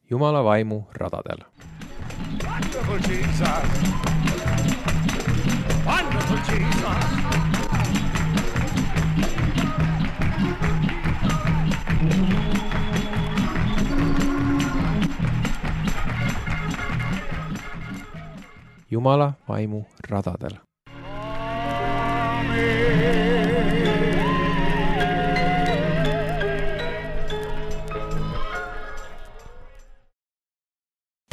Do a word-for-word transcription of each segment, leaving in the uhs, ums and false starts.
Jumala vaimu radadel. Wonderful Jesus! Wonderful Jesus! Jumala vaimu radadel.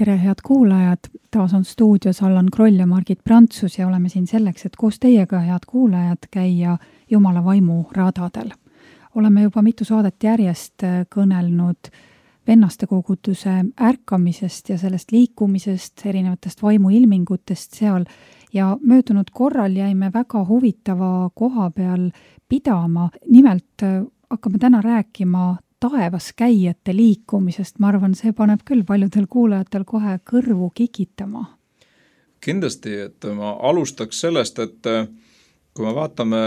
Tere, head kuulajad! Taas on stuudios Allan Kroll ja Margit Prantsus ja oleme siin selleks, et koos teiega, head kuulajad, käia Jumala vaimu radadel. Oleme juba mitu saadet järjest kõnelnud vennaste koguduse ärkamisest ja sellest liikumisest, erinevatest vaimuilmingutest seal ja möödunud korral jäime väga huvitava koha peal pidama. Nimelt hakkame täna rääkima taevas käijate liikumisest. Ma arvan, see paneb küll paljudel kuulajatel kohe kõrvu kikitama. Kindlasti, et ma alustaks sellest, et kui me vaatame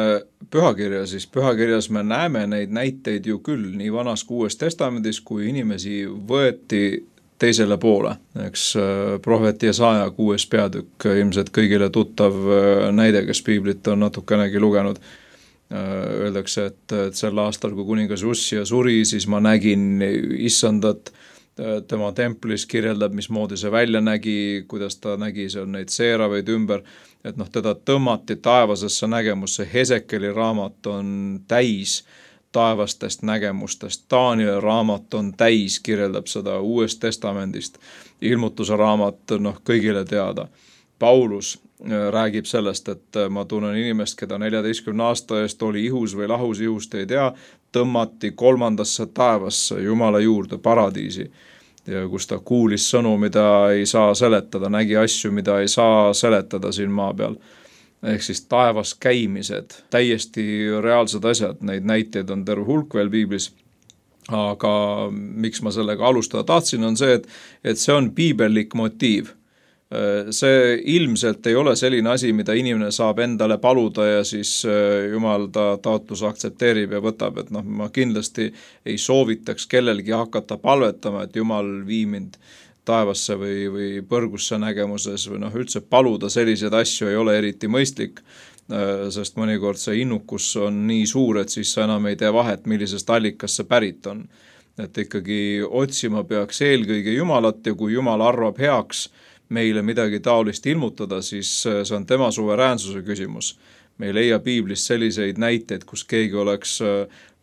pühakirja, siis pühakirjas me näeme neid näiteid ju küll nii vanas kui Uues Testamendis, kui inimesi võeti teisele poole. Eks prohvet Jesaja kuues peatükk, ilmselt kõigile tuttav näide, kes piiblit on natukenegi lugenud. Öeldakse, et, et sel aastal, kui kuningas Ussia suri, siis ma nägin issandat tema templis, kirjeldab, mismoodi see välja nägi, kuidas ta nägi seal neid seeraveid ümber, et noh, teda tõmmati taevasesse nägemusse. Hesekeli raamat on täis taevastest nägemustest. Danieli raamat on täis, kirjeldab seda Uuest Testamendist. Ilmutuse raamat, noh, kõigile teada. Paulus räägib sellest, et ma tunnen inimest, keda neljateistkümne aasta eest oli ihus või lahus ihust, ei tea, tõmmati kolmandasse taevasse, Jumala juurde, paradiisi, ja kus ta kuulis sõnu, mida ei saa seletada, nägi asju, mida ei saa seletada siin maa peal. Ehk siis taevas käimised, täiesti reaalsed asjad, neid näiteid on terve hulk veel piiblis. Aga miks ma sellega alustada tahtsin, on see, et, et see on piibellik motiiv. See ilmselt ei ole selline asi, mida inimene saab endale paluda ja siis Jumal ta taotlus aktsepteerib ja võtab, et noh, ma kindlasti ei soovitaks kellelgi hakata palvetama, et Jumal vii mind taevasse või, või põrgusse nägemuses või noh, üldse paluda selliseid asju ei ole eriti mõistlik, sest mõnikord see innukus on nii suur, et siis sa enam ei tee vahet, millisest allikast see pärit on. Et ikkagi otsima peaks eelkõige Jumalat ja kui Jumal arvab heaks meile midagi taolist ilmutada, siis see on tema suveräänsuse küsimus. Me ei leia piiblis selliseid näiteid, kus keegi oleks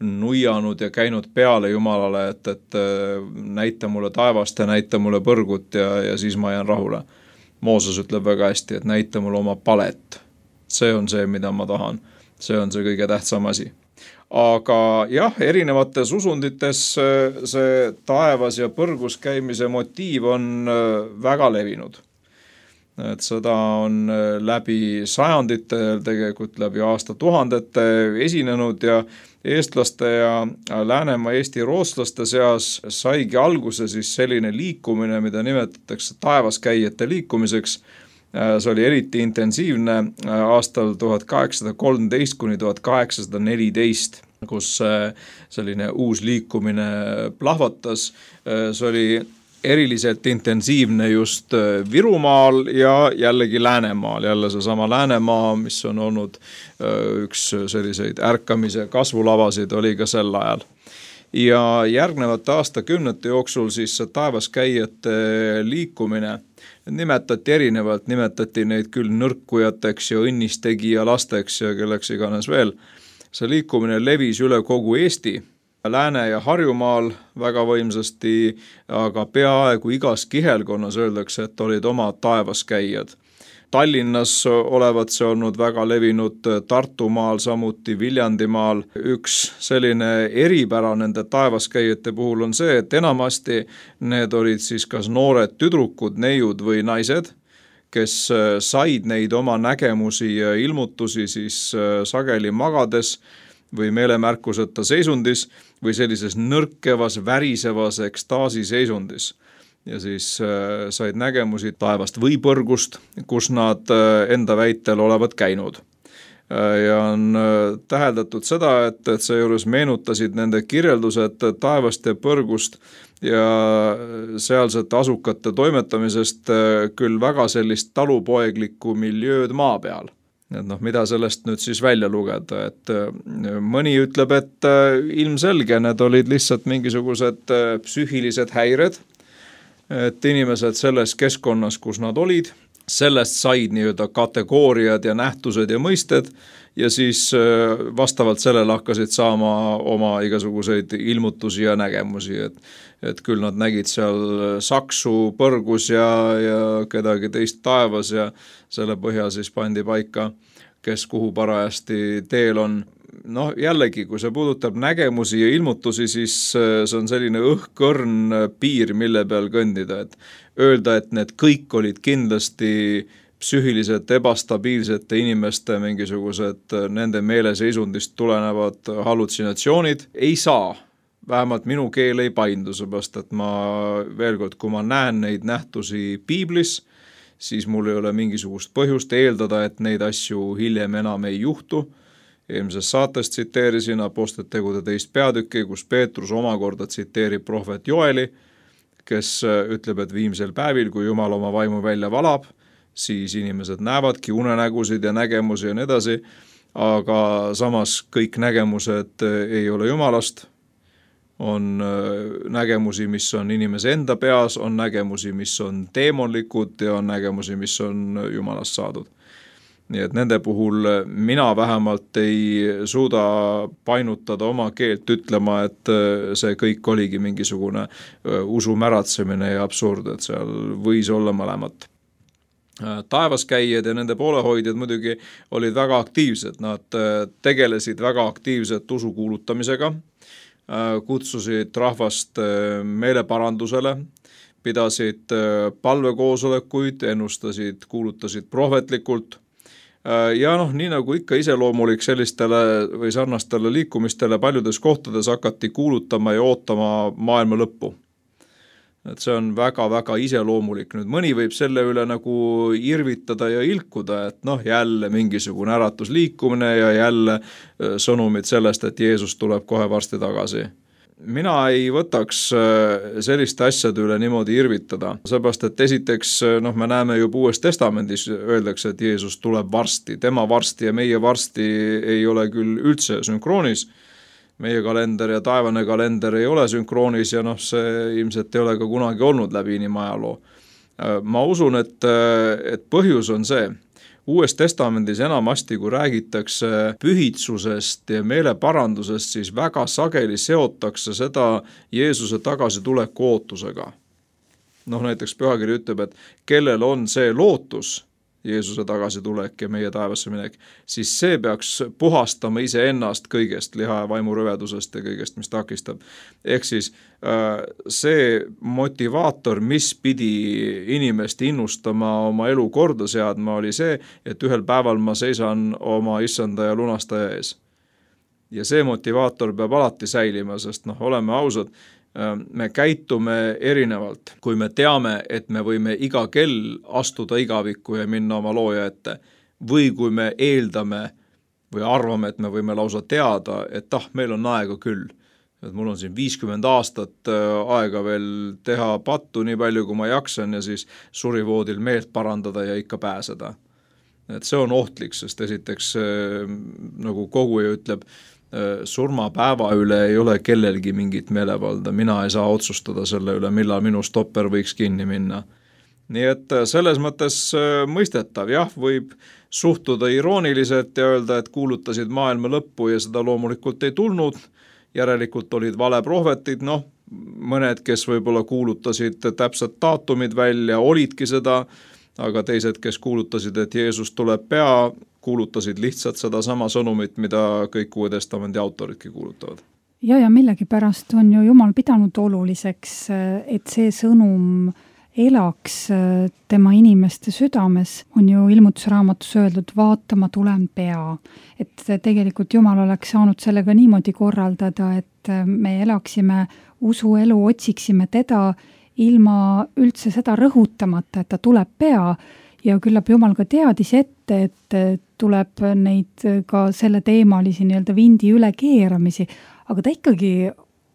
nuianud ja käinud peale Jumalale, et, et näita mulle taevast ja näita mulle põrgut ja, ja siis ma jään rahule. Mooses ütleb väga hästi, et näita mulle oma palet. See on see, mida ma tahan. See on see kõige tähtsam asi. Aga jah, erinevates usundites see taevas ja põrgus käimise motiiv on väga levinud. Et seda on läbi sajandite, tegelikult läbi aastatuhandete esinenud ja eestlaste ja Läänemaa Eesti rootslaste seas saigi alguse siis selline liikumine, mida nimetatakse taevaskäijate liikumiseks. See oli eriti intensiivne aastal tuhat kaheksasada kolmteist kuni tuhat kaheksasada neliteist, kus selline uus liikumine plahvatas. See oli eriliselt intensiivne just Virumaal ja jällegi Läänemaal. Jälle seesama Läänemaa, mis on olnud üks selliseid ärkamise kasvulavasid, oli ka sel ajal. Ja järgnevate aastakümnete jooksul siis see taevaskäijate liikumine nimetati erinevalt, nimetati neid küll nõrkujateks ja õnnistegija lasteks ja kelleks iganes veel. See liikumine levis üle kogu Eesti, Lääne- ja Harjumaal väga võimsasti, aga peaaegu igas kihelkonnas öeldakse, et olid oma taevaskäijad. Tallinnas olevat see olnud väga levinud, Tartumaal, samuti Viljandimaal. Üks selline eripära nende taevaskäijate puhul on see, et enamasti need olid siis kas noored tüdrukud, neiud või naised, kes said neid oma nägemusi ja ilmutusi siis sageli magades või meelemärkuseta seisundis või sellises nõrkevas, värisevas ekstaasi seisundis. Ja siis äh, said nägemusi taevast või põrgust, kus nad äh, enda väitel olevat käinud. ja on täheldatud seda, et, et seejuures meenutasid nende kirjeldused taevast ja põrgust ja sealsete asukate toimetamisest küll väga sellist talupoeglikku miljööd maa peal. Et noh, mida sellest nüüd siis välja lugeda, et mõni ütleb, et ilmselge need olid lihtsalt mingisugused psüühilised häired, et inimesed selles keskkonnas, kus nad olid, sellest said nii-öelda kategooriad ja nähtused ja mõisted ja siis vastavalt sellele hakkasid saama oma igasuguseid ilmutusi ja nägemusi, et, et küll nad nägid seal saksu põrgus ja, ja kedagi teist taevas ja selle põhjal siis pandi paika, kes kuhu parajasti teel on. Noh, jällegi, kui see puudutab nägemusi ja ilmutusi, siis see on selline õhkõrn piir, mille peal kõndida, et öelda, et need kõik olid kindlasti psüühiliselt ebastabiilsete inimeste mingisugused nende meeleseisundist tulenevad hallutsinatsioonid, ei saa. Vähemalt minu keel ei paindu, seepärast, et ma veel kord, kui ma näen neid nähtusi piiblis, siis mul ei ole mingisugust põhjust eeldada, et neid asju hiljem enam ei juhtu. Eelmises saates tsiteerisin Apostlite tegude teist peatükki, kus Peetrus omakorda tsiteerib prohvet Joeli, kes ütleb, et viimsel päevil, kui Jumal oma vaimu välja valab, siis inimesed näevadki unenägusid ja nägemusi ja nii edasi, aga samas kõik nägemused ei ole Jumalast, on nägemusi, mis on inimese enda peas, on nägemusi, mis on teemonlikud ja on nägemusi, mis on Jumalast saadud. Nii et nende puhul mina vähemalt ei suuda painutada oma keelt ütlema, et see kõik oligi mingisugune usu märatsemine ja absurd, et seal võis olla mõlemat. Taevaskäijad ja nende poolehoidjad muidugi olid väga aktiivsed, nad tegelesid väga aktiivselt usu kuulutamisega, kutsusid rahvast meeleparandusele, pidasid palvekoosolekuid, ennustasid, kuulutasid prohvetlikult ja noh, nii nagu ikka iseloomulik sellistele või sarnastele liikumistele paljudes kohtades hakati kuulutama ja ootama maailma lõppu. Et see on väga-väga iseloomulik. Nüüd mõni võib selle üle nagu irvitada ja ilkuda, et noh, jälle mingisugune äratusliikumine ja jälle sõnumid sellest, et Jeesus tuleb kohe varsti tagasi. Mina ei võtaks selliste asjade üle niimoodi irvitada, seepärast, et esiteks noh, me näeme juba Uues Testamendis öeldakse, et Jeesus tuleb varsti, tema varsti ja meie varsti ei ole küll üldse sünkroonis. Meie kalender ja taevane kalender ei ole sünkroonis ja noh, see ilmselt ei ole ka kunagi olnud läbi inimajaloo. Ma usun, et, et põhjus on see. Uues Testamendis enamasti, kui räägitakse pühitsusest ja meeleparandusest, siis väga sageli seotakse seda Jeesuse tagasituleku ootusega. Noh, näiteks pühakiri ütleb, et kellel on see lootus, Jeesuse tagasitulek ja meie taevasse minek, siis see peaks puhastama iseennast kõigest, liha ja vaimu rõvedusest ja kõigest, mis takistab. Ehk siis see motivaator, mis pidi inimest innustama oma elu korda seadma, oli see, et ühel päeval ma seisan oma issanda ja lunastaja ees. Ja see motivaator peab alati säilima, sest noh, oleme ausad, me käitume erinevalt, kui me teame, et me võime iga kell astuda igavikku ja minna oma looja ette, või kui me eeldame või arvame, et me võime lausa teada, et ah, meil on aega küll. Et mul on siin viiskümmend aastat aega veel teha pattu nii palju, kui ma jaksan ja siis surivoodil meelt parandada ja ikka pääseda. Et see on ohtlik, sest esiteks nagu koguja ütleb, surmapäeva üle ei ole kellelgi mingit meelevalda, mina ei saa otsustada selle üle, millal minu stopper võiks kinni minna. Nii et selles mõttes mõistetav, jah, võib suhtuda irooniliselt ja öelda, et kuulutasid maailma lõppu ja seda loomulikult ei tulnud, järelikult olid vale prohvetid, noh, mõned, kes võib-olla kuulutasid täpsed daatumid välja, olidki seda, aga teised, kes kuulutasid, et Jeesus tuleb pea, kuulutasid lihtsalt seda sama sõnumit, mida kõik Uue Testamendi autoridki kuulutavad. Ja, ja millegi pärast on ju Jumal pidanud oluliseks, et see sõnum elaks tema inimeste südames, on ju ilmutusraamatus öeldud, vaatama tulen pea. Et tegelikult Jumal oleks saanud sellega niimoodi korraldada, et me elaksime usuelu, otsiksime teda ilma üldse seda rõhutamata, et ta tuleb pea ja küllap Jumal ka teadis ette, et tuleb neid ka selle teemalisi nii-öelda vindi üle keeramisi, aga ta ikkagi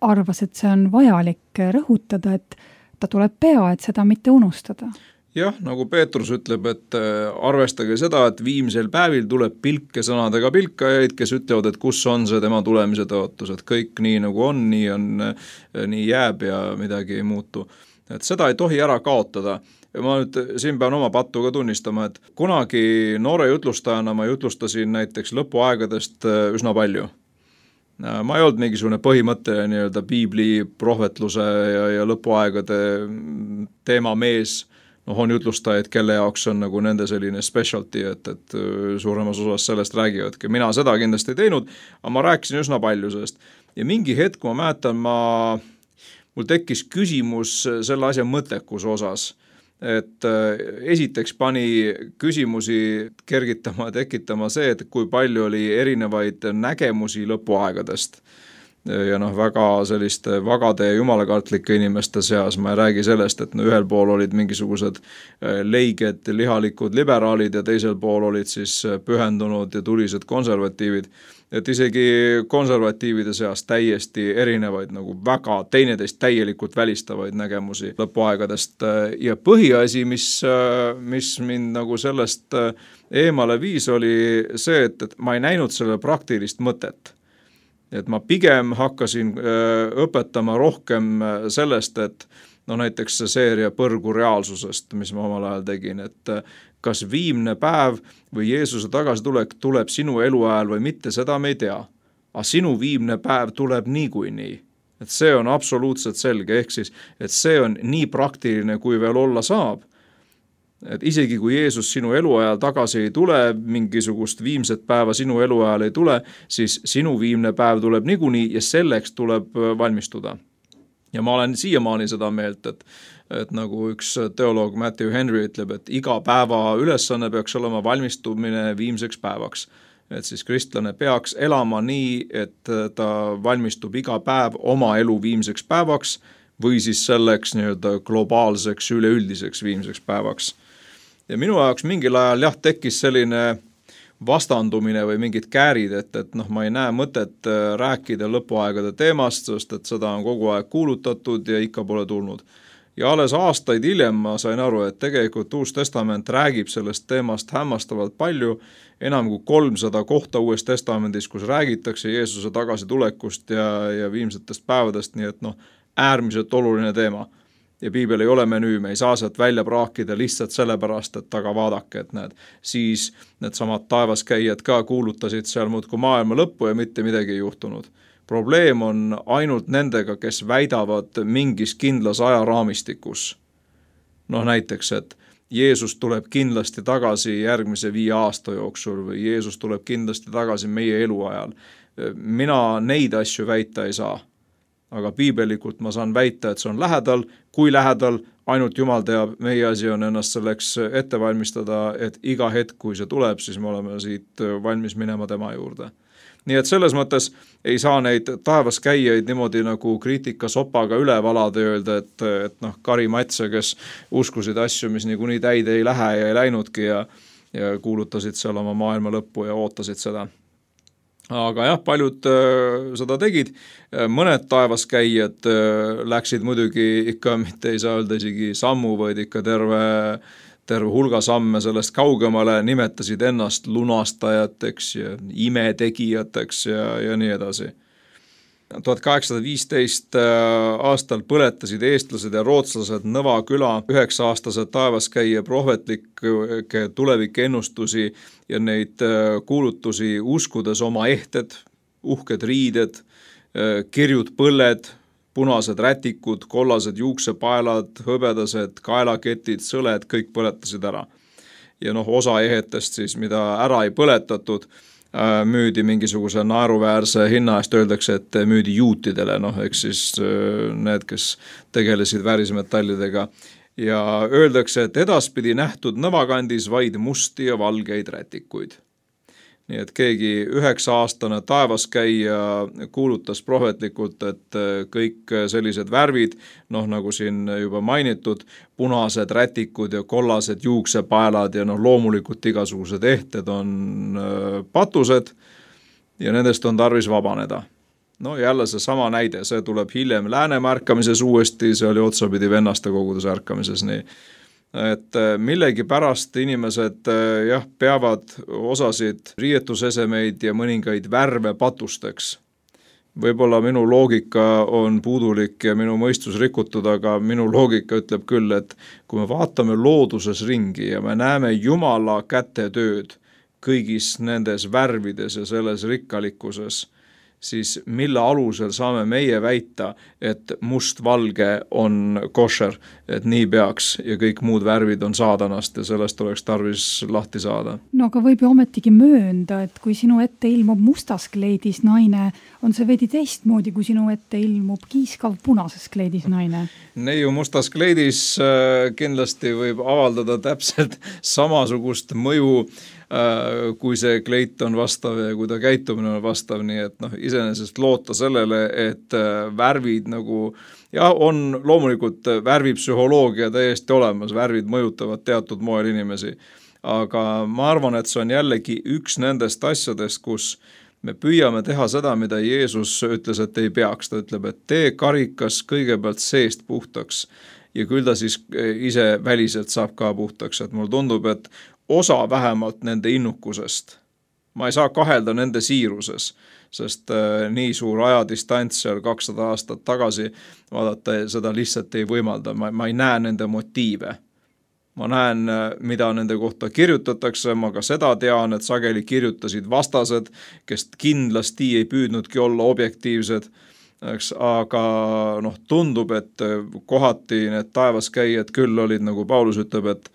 arvas, et see on vajalik rõhutada, et ta tuleb pea, et seda mitte unustada. Jah, nagu Peetrus ütleb, et arvestage seda, et viimsel päevil tuleb pilke sõnadega pilkajaid, kes ütlevad, et kus on see tema tulemise tõotus, et kõik nii nagu on, nii on, nii jääb ja midagi ei muutu. Et seda ei tohi ära kaotada. Ma nüüd siin pean oma pattu ka tunnistama, et kunagi noore jutlustajana ma jutlustasin näiteks lõpuaegadest üsna palju. Ma ei olnud mingisugune põhimõtteline nii-öelda piibli prohvetluse ja, ja lõpuaegade teema mees. Noh, on jutlustajaid, kelle jaoks on nagu nende selline specialty, et, et suuremas osas sellest räägivadki. Mina seda kindlasti ei teinud, aga ma rääkisin üsna palju sellest. Ja mingi hetk, ma mäletan, ma, mul tekkis küsimus selle asja mõttekus osas. Et esiteks pani küsimusi kergitama, tekitama see, et kui palju oli erinevaid nägemusi lõpuaegadest. Ja noh, väga selliste vagade ja jumalakartlike inimeste seas, ma ei räägi sellest, et no ühel pool olid mingisugused leiged, lihalikud liberaalid ja teisel pool olid siis pühendunud ja tulised konservatiivid. Et isegi konservatiivide seas täiesti erinevaid, nagu väga teineteist täielikult välistavaid nägemusi lõpuaegadest. Ja põhiasi, mis, mis mind nagu sellest eemale viis, oli see, et, et ma ei näinud selle praktilist mõtet. Et ma pigem hakkasin õpetama rohkem sellest, et no näiteks see seeria Põrgu reaalsusest, mis ma omal ajal tegin, et kas viimne päev või Jeesuse tagasitulek tuleb sinu eluajal või mitte, seda me ei tea. Aga sinu viimne päev tuleb niikuinii. Et see on absoluutselt selge, ehk siis, et see on nii praktiline, kui veel olla saab. Et isegi kui Jeesus sinu eluajal tagasi ei tule, mingisugust viimset päeva sinu eluajal ei tule, siis sinu viimne päev tuleb niikuinii ja selleks tuleb valmistuda. Ja ma olen siiamaani seda meelt, et, et nagu üks teoloog Matthew Henry ütleb, et iga päeva ülesanne peaks olema valmistumine viimseks päevaks. Et siis kristlane peaks elama nii, et ta valmistub iga päev oma elu viimseks päevaks või siis selleks nii-öelda globaalseks, üleüldiseks viimseks päevaks. Ja minu jaoks mingil ajal jah, tekkis selline vastandumine või mingid käärid, et, et noh, ma ei näe mõtet rääkida lõpuaegade teemast, sest et seda on kogu aeg kuulutatud ja ikka pole tulnud. Ja alles aastaid hiljem ma sain aru, et tegelikult Uus Testament räägib sellest teemast hämmastavalt palju, enam kui kolmsada kohta Uues Testamendis, kus räägitakse Jeesuse tagasitulekust ja, ja viimsetest päevadest, nii et noh, äärmiselt oluline teema. Ja piibel ei ole menüü, me ei saa sealt välja praakida lihtsalt sellepärast, et taga vaadake, et need, siis need samad taevaskäijad ka kuulutasid seal muudkui maailma lõppu ja mitte midagi ei juhtunud. Probleem on ainult nendega, kes väidavad mingis kindlas ajaraamistikus. Noh näiteks, et Jeesus tuleb kindlasti tagasi järgmise viie aasta jooksul või Jeesus tuleb kindlasti tagasi meie eluajal. Mina neid asju väita ei saa. Aga piibelikult ma saan väita, et see on lähedal, kui lähedal, ainult Jumal teab, meie asi on ennast selleks ette valmistada, et iga hetk, kui see tuleb, siis me oleme siit valmis minema tema juurde. Nii et selles mõttes ei saa neid taevaskäijaid niimoodi nagu kriitika sopaga üle valada ja öelda, et, et noh, Kari Matse, kes uskusid asju, mis niikuinii täide ei lähe ja ei läinudki ja, ja kuulutasid seal oma maailma lõppu ja ootasid seda. Aga jah, paljud äh, seda tegid, mõned taevaskäijad äh, läksid muidugi ikka, mitte ei saa öelda isegi sammu, vaid ikka terve, terve hulga samme sellest kaugemale, nimetasid ennast lunastajateks ja imetegijateks ja, ja nii edasi. tuhat kaheksasada viisteist aastal põletasid eestlased ja rootslased Nõva küla üheksa-aastased taevaskäija prohvetlikke tulevikennustusi ja neid kuulutusi uskudes oma ehted, uhked riided, kirjud põlled, punased rätikud, kollased juuksepaelad, hõbedased kaelaketid, sõled, kõik põletasid ära. Ja noh, osa ehetest siis, mida ära ei põletatud, müüdi mingisuguse naeruväärse hinna eest, öeldakse, et müüdi juutidele, noh, eks siis need, kes tegelesid väärismetallidega. Ja öeldakse, et edaspidi nähtud Nõvakandis vaid musti ja valgeid rätikuid. nii et keegi üheksa aastane taevaskäija kuulutas prohvetlikult, et kõik sellised värvid, noh nagu siin juba mainitud, punased rätikud ja kollased juuksepaelad ja noh loomulikult igasugused ehted on patused ja nendest on tarvis vabaneda. No jälle see sama näide, see tuleb hiljem Läänemaa ärkamises uuesti, see oli otsapidi vennaste koguduse ärkamises, nii et millegi pärast inimesed jah, peavad osasid riietusesemeid ja mõningaid värve patusteks. Võib-olla minu loogika on puudulik ja minu mõistus rikutud, aga minu loogika ütleb küll, et kui me vaatame looduses ringi ja me näeme Jumala kätetööd kõigis nendes värvides ja selles rikkalikkuses, siis mille alusel saame meie väita, et must-valge on košer, et nii peaks ja kõik muud värvid on saadanast ja sellest oleks tarvis lahti saada. No aga võib ju ometigi möönda, et kui sinu ette ilmub mustas kleidis naine, on see veidi teistmoodi, kui sinu ette ilmub kiiskav punases kleidis naine. Neiu mustas kleidis kindlasti võib avaldada täpselt samasugust mõju, kui see kleit on vastav ja kui ta käitumine on vastav, nii et noh, iseenesest loota sellele, et värvid nagu, jah, on loomulikult värvipsühholoogia täiesti olemas, värvid mõjutavad teatud moel inimesi, aga ma arvan, et see on jällegi üks nendest asjadest, kus me püüame teha seda, mida Jeesus ütles, et ei peaks, ta ütleb, et tee karikas kõigepealt seest puhtaks ja küll ta siis ise väliselt saab ka puhtaks, et mul tundub, et osa vähemalt nende innukusest. Ma ei saa kahelda nende siiruses, sest äh, nii suur ajadistants seal kakssada aastat tagasi vaadata seda lihtsalt ei võimalda. Ma, ma ei näe nende motiive. Ma näen, mida nende kohta kirjutatakse, ma ka seda tean, et sageli kirjutasid vastased, kes kindlasti ei püüdnudki olla objektiivsed, eks, aga noh, tundub, et kohati need taevaskäijad küll olid, nagu Paulus ütleb, et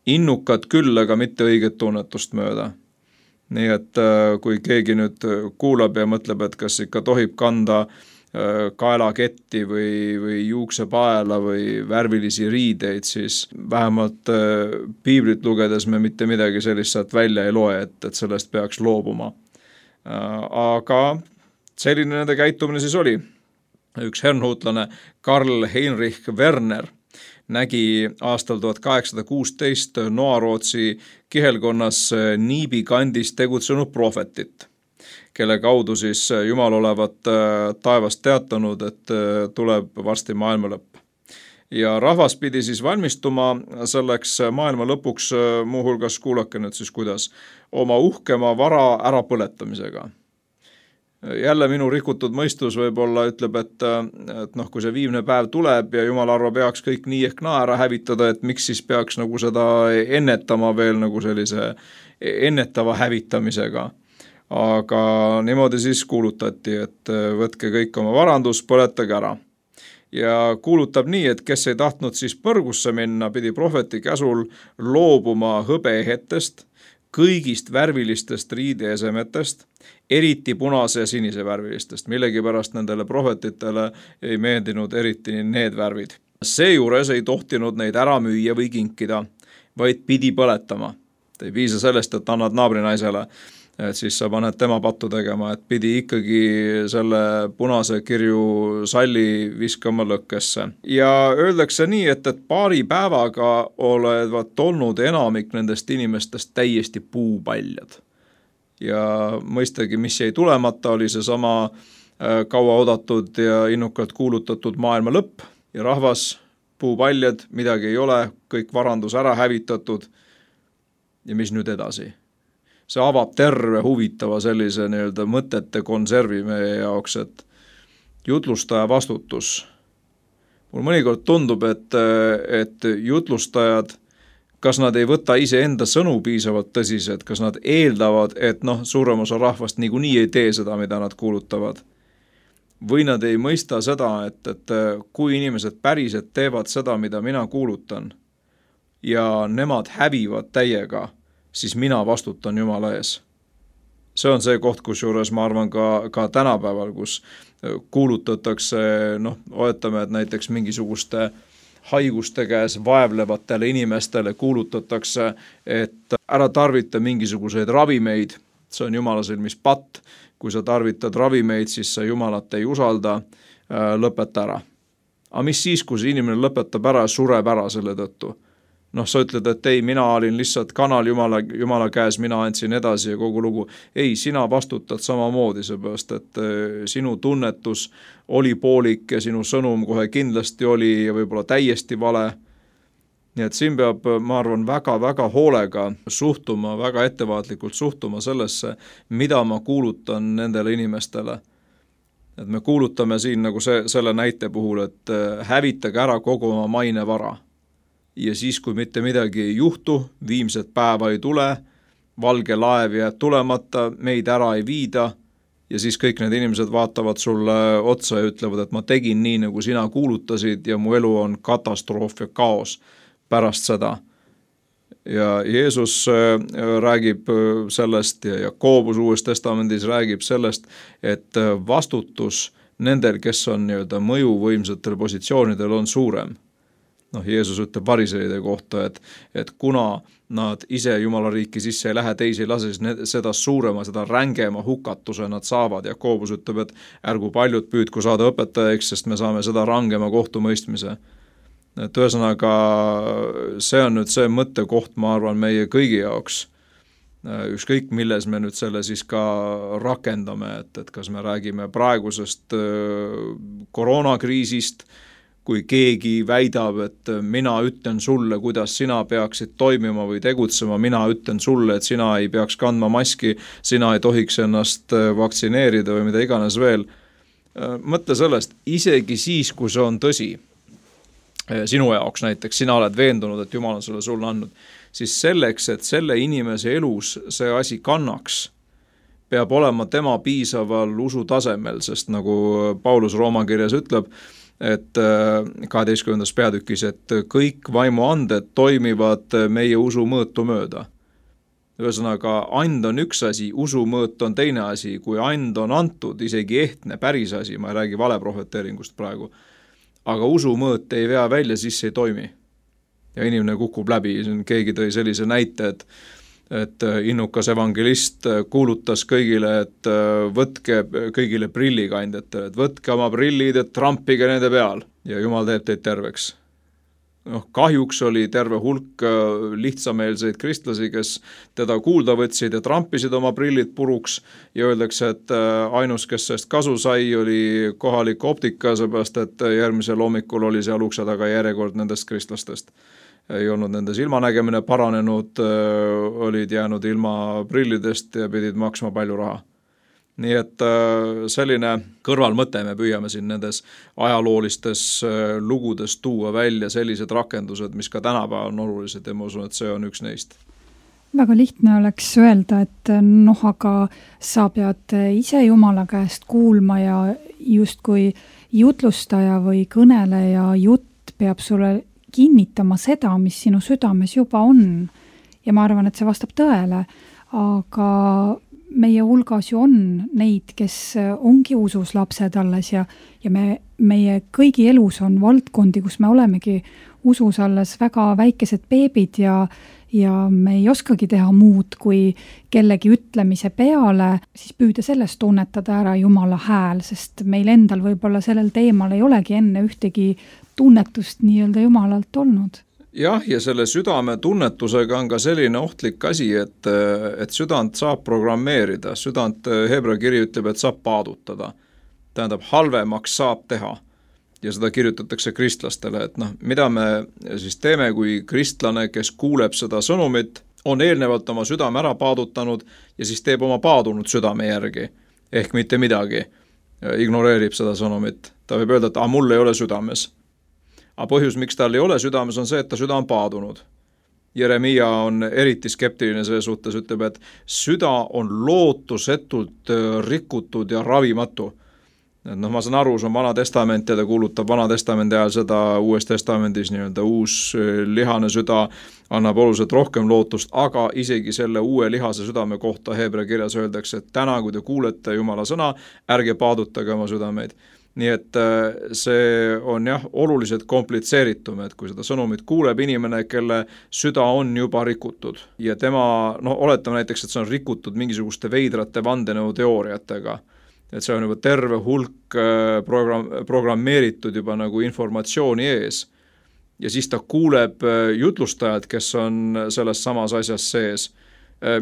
innukad küll, aga mitte õiget tunnetust mööda. Nii et kui keegi nüüd kuulab ja mõtleb, et kas ikka tohib kanda kaelaketti või, või juuksepaela või värvilisi riideid, siis vähemalt piiblit lugedes me mitte midagi sellist sealt välja ei loe, et, et sellest peaks loobuma. Aga selline nende käitumine siis oli. Üks herrnhuutlane Karl Heinrich Werner nägi aastal tuhat kaheksasada kuusteist Noarootsi kihelkonnas Niibi kandis tegutsenud prohvetit, kelle kaudu siis Jumal olevat taevast teatanud, et tuleb varsti maailma lõpp. Ja rahvas pidi siis valmistuma selleks maailma lõpuks, muuhulgas kuulake nüüd siis kuidas, oma uhkema vara ärapõletamisega. Jälle minu rikutud mõistus võib-olla ütleb, et, et noh, kui see viimne päev tuleb ja Jumal arva peaks kõik nii ehk naa ära hävitada, et miks siis peaks nagu seda ennetama veel nagu sellise ennetava hävitamisega. Aga niimoodi siis kuulutati, et võtke kõik oma varandus, põletage ära. Ja kuulutab nii, et kes ei tahtnud siis põrgusse minna, pidi prohveti käsul loobuma hõbeehetest, kõigist värvilistest riideesemetest, eriti punase ja sinise värvilistest. Millegi pärast nendele prohvetitele ei meeldinud eriti need värvid. Seejuures ei tohtinud neid ära müüa või kinkida, vaid pidi põletama. Ei piisa sellest, et annad naabrinaisele, et siis sa paned tema pattu tegema, et pidi ikkagi selle punase kirju salli viskama lõkkesse. Ja öeldakse nii, et, et paari päevaga olevat olnud enamik nendest inimestest täiesti puupaljad. Ja mõistagi, mis jäi tulemata, oli see sama kaua odatud ja innukalt kuulutatud maailma lõpp ja rahvas, puupaljad, midagi ei ole, kõik varandus ära hävitatud ja mis nüüd edasi? See avab terve huvitava sellise nii-öelda mõtete konservi meie jaoks, et jutlustaja vastutus. Mul mõnikord tundub, et, et jutlustajad, kas nad ei võta ise enda sõnu piisavalt tõsiselt, kas nad eeldavad, et noh, suurem osa rahvast niikuinii ei tee seda, mida nad kuulutavad. Või nad ei mõista seda, et, et kui inimesed päriselt teevad seda, mida mina kuulutan ja nemad hävivad täiega, siis mina vastutan Jumala ees. See on see koht, kus juures ma arvan ka, ka tänapäeval, kus kuulutatakse, noh, oletame, et näiteks mingisuguste haiguste käes vaevlevatele inimestele kuulutatakse, et ära tarvita mingisuguseid ravimeid see on Jumala silmis patt, kui sa tarvitad ravimeid, siis sa Jumalat ei usalda, lõpeta ära. Aga mis siis, kui see inimene lõpetab ära ja sureb ära selle tõttu? Noh, sa ütled, et ei, mina olin lihtsalt kanal Jumala, Jumala käes, mina andsin edasi ja kogu lugu. Ei, sina vastutad samamoodi, seepärast, et sinu tunnetus oli poolik ja sinu sõnum kohe kindlasti oli ja võib-olla täiesti vale. Nii et siin peab, ma arvan, väga-väga hoolega suhtuma, väga ettevaatlikult suhtuma sellesse, mida ma kuulutan nendele inimestele. Et me kuulutame siin nagu see, selle näite puhul, et hävitage ära kogu oma maine vara. Ja siis, kui mitte midagi ei juhtu, viimset päeva ei tule, valge laev jääb tulemata, meid ära ei viida ja siis kõik need inimesed vaatavad sulle otsa ja ütlevad, et ma tegin nii, nagu sina kuulutasid ja mu elu on katastroof ja kaos pärast seda. Ja Jeesus räägib sellest ja Jakobus Uues Testamendis räägib sellest, et vastutus nendel, kes on nii-öelda mõjuvõimsatel positsioonidel, on suurem. Noh, Jeesus ütleb variseide kohta, et, et kuna nad ise Jumala riiki sisse ei lähe, teisi ei lase, siis seda suurema, seda rängema hukatuse nad saavad. Jakobus ütleb, et ärgu paljud püüdku saada õpetajaks, sest me saame seda rangema kohtumõistmise. Et ühesõnaga, see on nüüd see mõttekoht, ma arvan, meie kõigi jaoks. Ükskõik, milles me nüüd selle siis ka rakendame, et, et kas me räägime praegusest koroonakriisist, kui keegi väidab, et mina ütlen sulle, kuidas sina peaksid toimima või tegutsema, mina ütlen sulle, et sina ei peaks kandma maski, sina ei tohiks ennast vaktsineerida või mida iganes veel. Mõtle sellest, isegi siis, kui see on tõsi, sinu jaoks näiteks, sina oled veendunud, et Jumal on sulle sulle andnud, siis selleks, et selle inimese elus see asi kannaks, peab olema tema piisaval usu tasemel, sest nagu Paulus Rooma kirjas ütleb, et kaheteistkümnendas peatükis, et kõik vaimuanded toimivad meie usu mõõtu mööda. Ühesõnaga, and on üks asi, usu mõõt on teine asi, kui and on antud, isegi ehtne, päris asi, ma ei räägi valeprohveteeringust praegu, aga usu mõõt ei vea välja, siis ei toimi. Ja inimene kukub läbi, keegi tõi sellise näite, et et innukas evangelist kuulutas kõigile, et võtke kõigile prillikandjatele, et võtke oma prillid, et trampige nende peal ja Jumal teeb teid terveks. Noh, kahjuks oli terve hulk lihtsameelseid kristlasi, kes teda kuulda võtsid ja trampisid oma prillid puruks ja öeldakse, et ainus, kes sellest kasu sai, oli kohalik optika, seepärast, et järgmisel hommikul oli seal ukse taga järjekord nendest kristlastest. Ei olnud nende silmanägemine paranenud, olid jäänud ilma prillidest ja pidid maksma palju raha. Nii et selline kõrvalmõte me püüame siin nendes ajaloolistes lugudes tuua välja sellised rakendused, mis ka tänapäeval on olulised ja ma usun, et see on üks neist. Väga lihtne oleks öelda, et noh, aga sa pead ise Jumala käest kuulma ja justkui jutlustaja või kõneleja jutt peab sulle kinnitama seda, mis sinu südames juba on. Ja ma arvan, et see vastab tõele, aga meie hulgas ju on neid, kes ongi usus lapsed alles ja, ja me, meie kõigi elus on valdkondi, kus me olemegi usus alles väga väikesed beebid ja, ja me ei oskagi teha muud, kui kellegi ütlemise peale, siis püüda sellest tunnetada ära Jumala hääl, sest meil endal võib-olla sellel teemal ei olegi enne ühtegi tunnetust nii-öelda Jumalalt olnud. Jah, ja selle südame tunnetusega on ka selline ohtlik asi, et, et südant saab programmeerida. Südant Hebra kiri ütleb, et saab paadutada. Tähendab, halvemaks saab teha. Ja seda kirjutatakse kristlastele, et noh, mida me siis teeme, kui kristlane, kes kuuleb seda sõnumit, on eelnevalt oma südame ära paadutanud ja siis teeb oma paadunud südame järgi. Ehk mitte midagi. Ignoreerib seda sõnumit. Ta võib öelda, et ah, mul ei ole südames. Aga põhjus, miks tal ei ole südames, on see, et ta süda on paadunud. Jeremia on eriti skeptiline selle suhtes, ütleb, et süda on lootusetult rikutud ja ravimatu. No ma saan aru, see on Vana Testament ja ta kuulutab Vana Testamendi ajal seda Uues Testamendis nii-öelda uus lihane süda annab oluliselt rohkem lootust, aga isegi selle uue lihase südame kohta Hebra kirjas öeldakse, et täna, kui te kuulete Jumala sõna, ärge paadutage oma südameid. nii et see on jah, oluliselt komplitseeritum, et kui seda sõnumit kuuleb inimene, kelle süda on juba rikutud ja tema, no oletame näiteks, et see on rikutud mingisuguste veidrate vandenõuteooriatega, et see on juba terve hulk program, programmeeritud juba nagu informatsiooni ees ja siis ta kuuleb jutlustajad, kes on selles samas asjas sees,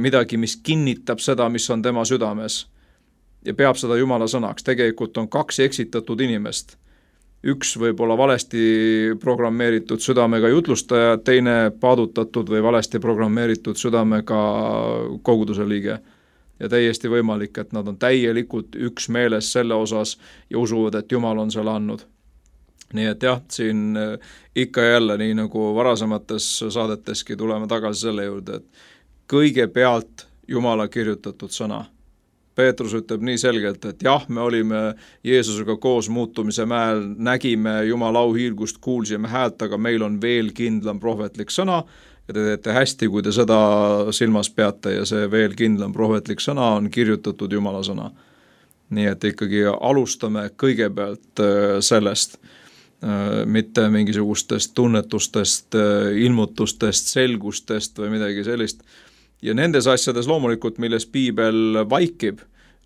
midagi, mis kinnitab seda, mis on tema südames ja peab seda Jumala sõnaks. Tegelikult on kaks eksitatud inimest. Üks võib olla valesti programmeeritud südamega jutlustaja, teine paadutatud või valesti programmeeritud südamega koguduse liige. Ja täiesti võimalik, et nad on täielikult üks meeles selle osas ja usuvad, et Jumal on selle andnud. Nii et jah, siin ikka jälle, nii nagu varasemates saadeteski tuleme tagasi selle juurde, et kõigepealt Jumala kirjutatud sõna. Peetrus ütleb nii selgelt, et jah, me olime Jeesusega koos muutumise mäel, nägime Jumala auhiilgust, kuulsime häält, aga meil on veel kindlam prohvetlik sõna ja te teete hästi, kui te seda silmas peate ja see veel kindlam prohvetlik sõna on kirjutatud Jumala sõna. Nii et ikkagi alustame kõigepealt sellest, mitte mingisugustest tunnetustest, ilmutustest, selgustest või midagi sellist. Ja nendes asjades loomulikult, milles piibel vaikib,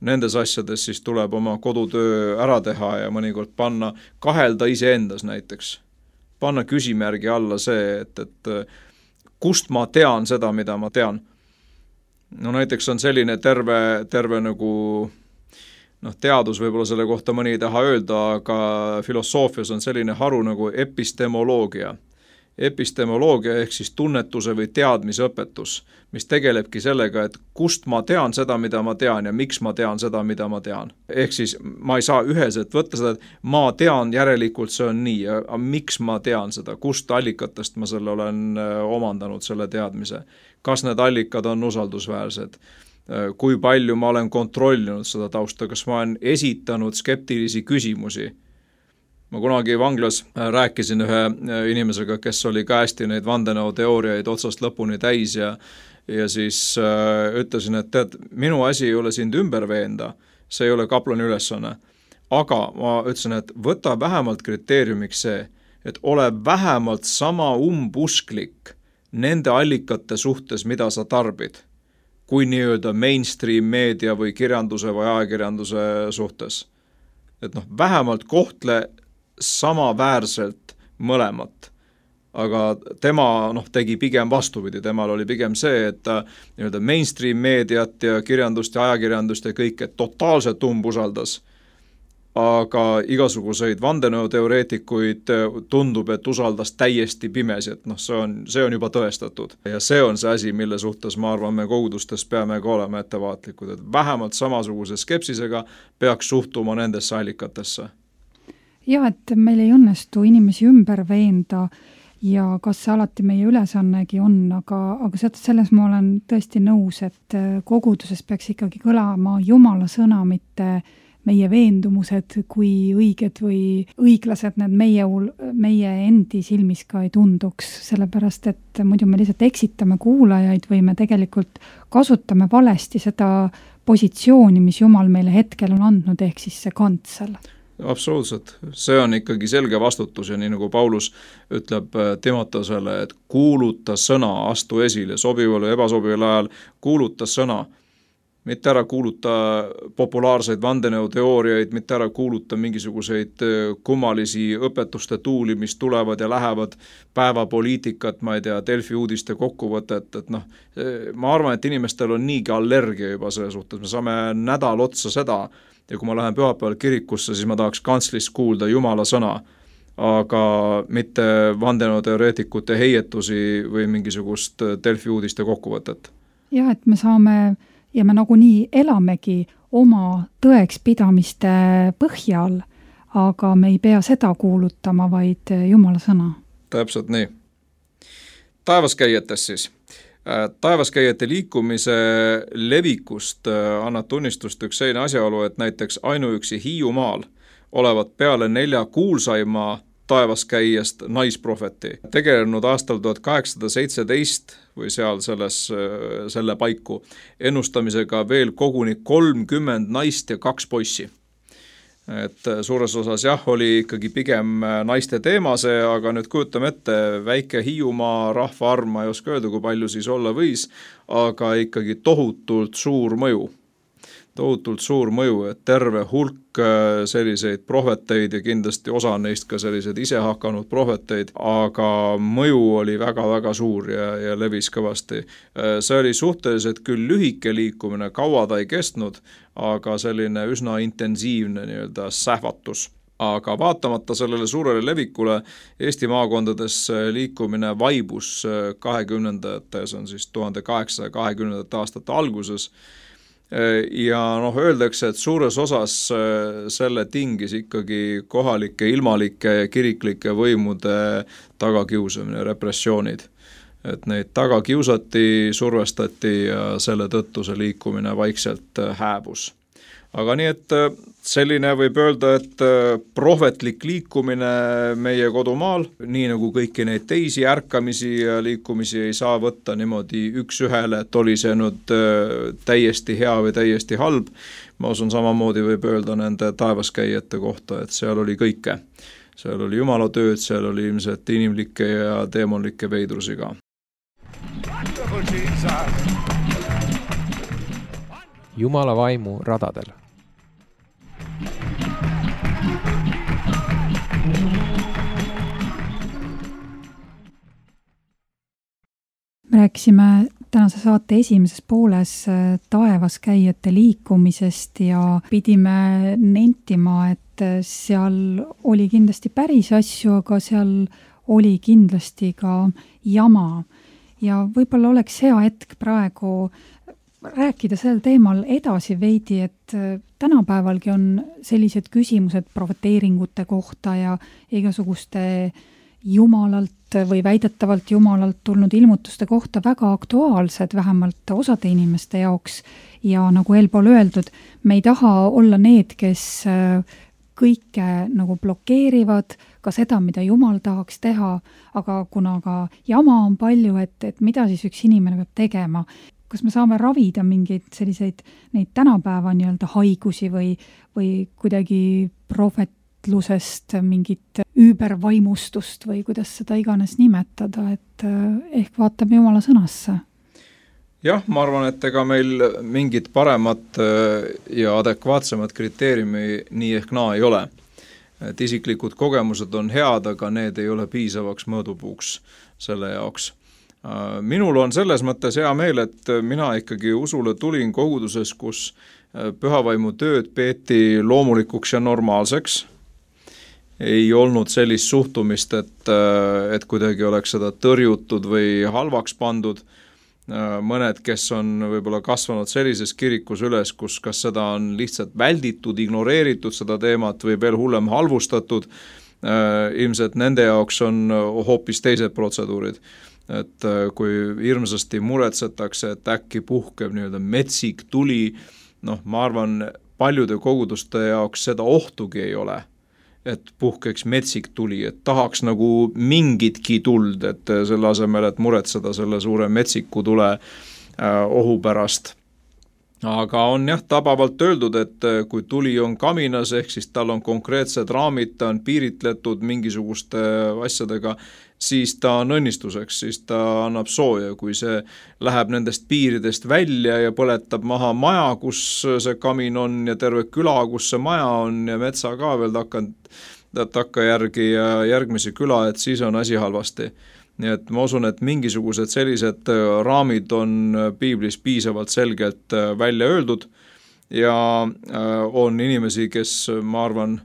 nendes asjades siis tuleb oma kodutöö ära teha ja mõnikord panna, kahelda iseendas näiteks. Panna küsimärgi alla see, et, et kust ma tean seda, mida ma tean. No näiteks on selline terve, terve nagu noh, teadus võib-olla selle kohta mõni ei taha öelda, aga filosoofias on selline haru nagu epistemoloogia. Epistemoloogia ehk siis tunnetuse või teadmisõpetus, mis tegelebki sellega, et kust ma tean seda, mida ma tean ja miks ma tean seda, mida ma tean. Ehk siis ma ei saa üheselt võtta seda, et ma tean, järelikult see on nii, aga miks ma tean seda, kust allikatest ma selle olen omandanud selle teadmise. Kas need allikad on usaldusväärsed? Kui palju ma olen kontrollinud seda tausta, kas ma olen esitanud skeptilisi küsimusi? Ma kunagi vanglas rääkisin ühe inimesega, kes oli ka hästi neid vandenõuteooriaid otsast lõpuni täis ja, ja siis äh, ütlesin, et tead, minu asi ei ole sind ümber veenda, see ei ole kaplani ülesanne. Aga ma ütlesin, et võta vähemalt kriteeriumiks see, et ole vähemalt sama umbusklik nende allikate suhtes, mida sa tarbid, kui nii-öelda mainstream meedia või kirjanduse või ajakirjanduse suhtes. Et noh, vähemalt kohtle samaväärselt mõlemat, aga tema noh, tegi pigem vastupidi, temal oli pigem see, et ta nii-öelda mainstream meediat ja kirjandust ja ajakirjandust ja kõike totaalselt umbusaldas, aga igasuguseid vandenõuteoreetikuid tundub, et usaldas täiesti pimesi, et noh, see on, see on juba tõestatud. Ja see on see asi, mille suhtes ma arvan, me kogudustes peame ka olema ettevaatlikud, et vähemalt samasuguse skepsisega peaks suhtuma nendesse allikatesse. Ja, et meil ei õnnestu inimesi ümber veenda ja kas see alati meie ülesannegi on, aga, aga selles ma olen tõesti nõus, et koguduses peaks ikkagi kõlama Jumala sõna, mitte meie veendumused, kui õiged või õiglased need meie, meie endi silmis ka ei tunduks, sellepärast et muidu me lihtsalt eksitame kuulajaid või me tegelikult kasutame valesti seda positsiooni, mis Jumal meile hetkel on andnud, ehk siis see kantsel. Absoluutselt. See on ikkagi selge vastutus ja nii nagu Paulus ütleb Timotosele, et kuuluta sõna, astu esile, sobival või ebasobival ajal, kuuluta sõna. Mitte ära kuuluta populaarseid vandenõuteooriaid, mitte ära kuuluta mingisuguseid kummalisi õpetuste tuuli, mis tulevad ja lähevad päevapoliitikat, ma ei tea, Delfi uudiste kokkuvõtet, et noh, ma arvan, et inimestel on niigi allergia juba selle suhtes, me saame nädal otsa seda, ja kui ma lähen pühapäeval kirikusse, siis ma tahaks kantslist kuulda Jumala sõna, aga mitte vandenõuteoreetikute heietusi või mingisugust Delfi uudiste kokkuvõtet. Jah, et me saame ja me nagunii elamegi oma tõekspidamiste põhjal, aga me ei pea seda kuulutama, vaid Jumala sõna. Täpselt nii. Taevaskäijatest siis. Taevaskäijate liikumise levikust annab tunnistust üks selline asjaolu, et näiteks ainuüksi Hiiumaal olevat peale nelja kuulsaima taevaskäijast naisprohveti. Tegelenud aastal tuhat kaheksasada seitseteist või seal selles, selle paiku ennustamisega veel koguni kolmkümmend naist ja kaks poissi. et suures osas jah, oli ikkagi pigem naiste teema see, aga nüüd kujutame ette, väike Hiiumaa rahvaarv, ma ei oska öelda, kui palju siis olla võis, aga ikkagi tohutult suur mõju. Tohutult suur mõju, et terve hulk selliseid prohveteid ja kindlasti osa neist ka sellised ise hakanud prohveteid, aga mõju oli väga-väga suur ja, ja levis kõvasti. See oli suhteliselt küll lühike liikumine, kaua ta ei kestnud, aga selline üsna intensiivne nii-öelda sähvatus. Aga vaatamata sellele suurele levikule Eesti maakondades liikumine vaibus kahekümnendates, on siis tuhande kaheksasaja kahekümnendate aastate alguses. Ja noh, öeldakse, et suures osas selle tingis ikkagi kohalike ilmalike ja kiriklike võimude tagakiusamine, repressioonid. Et neid taga kiusati, survestati ja selle tõttu see liikumine vaikselt hääbus. Aga nii, et selline võib öelda, et prohvetlik liikumine meie kodumaal, nii nagu kõiki neid teisi ärkamisi ja liikumisi ei saa võtta niimoodi üks ühele, et oli see nüüd täiesti hea või täiesti halb. Ma usun samamoodi võib öelda nende taevaskäijate kohta, et seal oli kõike. Seal oli jumala tööd, seal oli ilmselt inimlikke ja teemonlikke veidrusiga. Jumala vaimu radadel. Me rääkisime tänase saate esimeses pooles taevaskäijate liikumisest ja pidime nentima, et seal oli kindlasti päris asju, aga seal oli kindlasti ka jama. Ja võib-olla oleks hea hetk praegu rääkida sel teemal edasi veidi, et tänapäevalgi on sellised küsimused profeteeringute kohta ja igasuguste jumalalt või väidetavalt jumalalt tulnud ilmutuste kohta väga aktuaalsed, vähemalt osade inimeste jaoks. Ja nagu eelpool öeldud, me ei taha olla need, kes kõike nagu blokeerivad, ka seda, mida Jumal tahaks teha, aga kuna ka jama on palju, et, et mida siis üks inimene peab tegema. Kas me saame ravida mingeid selliseid neid tänapäeva nii-öelda haigusi või, või kuidagi profetlusest mingit üübervaimustust või kuidas seda iganes nimetada, et ehk vaatame Jumala sõnasse. Jah, ma arvan, et ega meil mingit paremat ja adekvaatsemat kriteeriumi nii ehk naa ei ole. Et isiklikud kogemused on head, aga need ei ole piisavaks mõõdupuuks selle jaoks. Minul on selles mõttes hea meel, et mina ikkagi usule tulin koguduses, kus pühavaimu tööd peeti loomulikuks ja normaalseks. Ei olnud sellist suhtumist, et, et kuidagi oleks seda tõrjutud või halvaks pandud. Mõned, kes on võib-olla kasvanud sellises kirikus üles, kus kas seda on lihtsalt välditud, ignoreeritud seda teemat või veel hullem halvustatud, ilmselt nende jaoks on hoopis teised protseduurid. Et kui hirmsasti muretsetakse, et äkki puhkeb nii-öelda metsik tuli, noh, ma arvan, paljude koguduste jaoks seda ohtugi ei ole, et puhkeks metsik tuli, et tahaks nagu mingitki tuld, et selle asemel, et muretseda selle suure metsiku tule ohu pärast. Aga on jah tabavalt öeldud, et kui tuli on kaminas, ehk siis tal on konkreetsed raamid, ta on piiritletud mingisuguste asjadega, siis ta on õnnistuseks, siis ta annab sooja, kui see läheb nendest piiridest välja ja põletab maha maja, kus see kamin on ja terve küla, kus see maja on ja metsa ka veel takkand, takka järgi ja järgmisi küla, et siis on asi halvasti. Nii et ma usun, et mingisugused sellised raamid on piiblis piisavalt selgelt välja öeldud ja on inimesi, kes, ma arvan,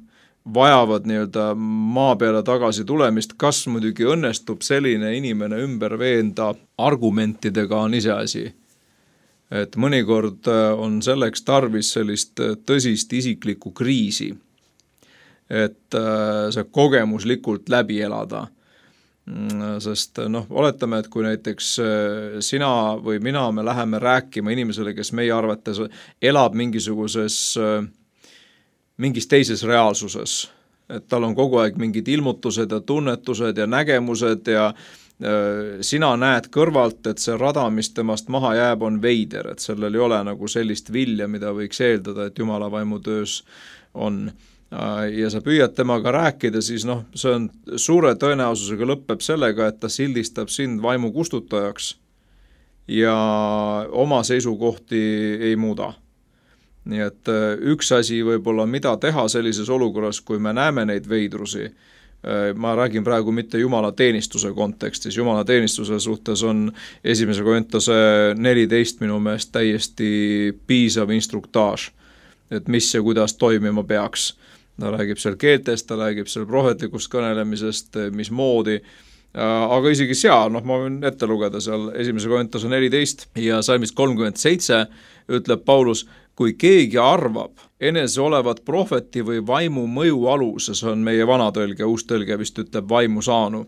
vajavad nii-öelda maa peale tagasi tulemist, kas muidugi õnnestub selline inimene ümber veenda argumentidega on iseasi. Et mõnikord on selleks tarvis sellist tõsist isiklikku kriisi, et see kogemuslikult läbi elada. Sest noh, oletame, et kui näiteks sina või mina me läheme rääkima inimesele, kes meie arvates elab mingisuguses mingis teises reaalsuses, et tal on kogu aeg mingid ilmutused ja tunnetused ja nägemused ja sina näed kõrvalt, et see rada, mis temast maha jääb, on veider, et sellel ei ole nagu sellist vilja, mida võiks eeldada, et Jumala vaimu töös on. ja sa püüad temaga rääkida, siis noh, see on suure tõenäosusega lõpeb sellega, et ta sildistab sind vaimu kustutajaks ja oma seisukohti ei muuda. Nii et üks asi võib-olla, mida teha sellises olukorras, kui me näeme neid veidrusi, ma räägin praegu mitte Jumala teenistuse kontekstis, Jumala teenistuse suhtes on esimese Korintuse neliteist minu meelest täiesti piisav instruktaaž, et mis ja kuidas toimima peaks. Ta räägib seal keeltest, ta räägib seal prohvetlikust kõnelemisest, mis moodi, aga isegi seal, noh ma võin ette lugeda seal esimese Korintuse neliteist ja salmist kolmkümmend seitse ütleb Paulus, kui keegi arvab enese olevat prohveti või vaimu mõju aluses, on meie vanatõlge, uus tõlge vist ütleb vaimu saanu,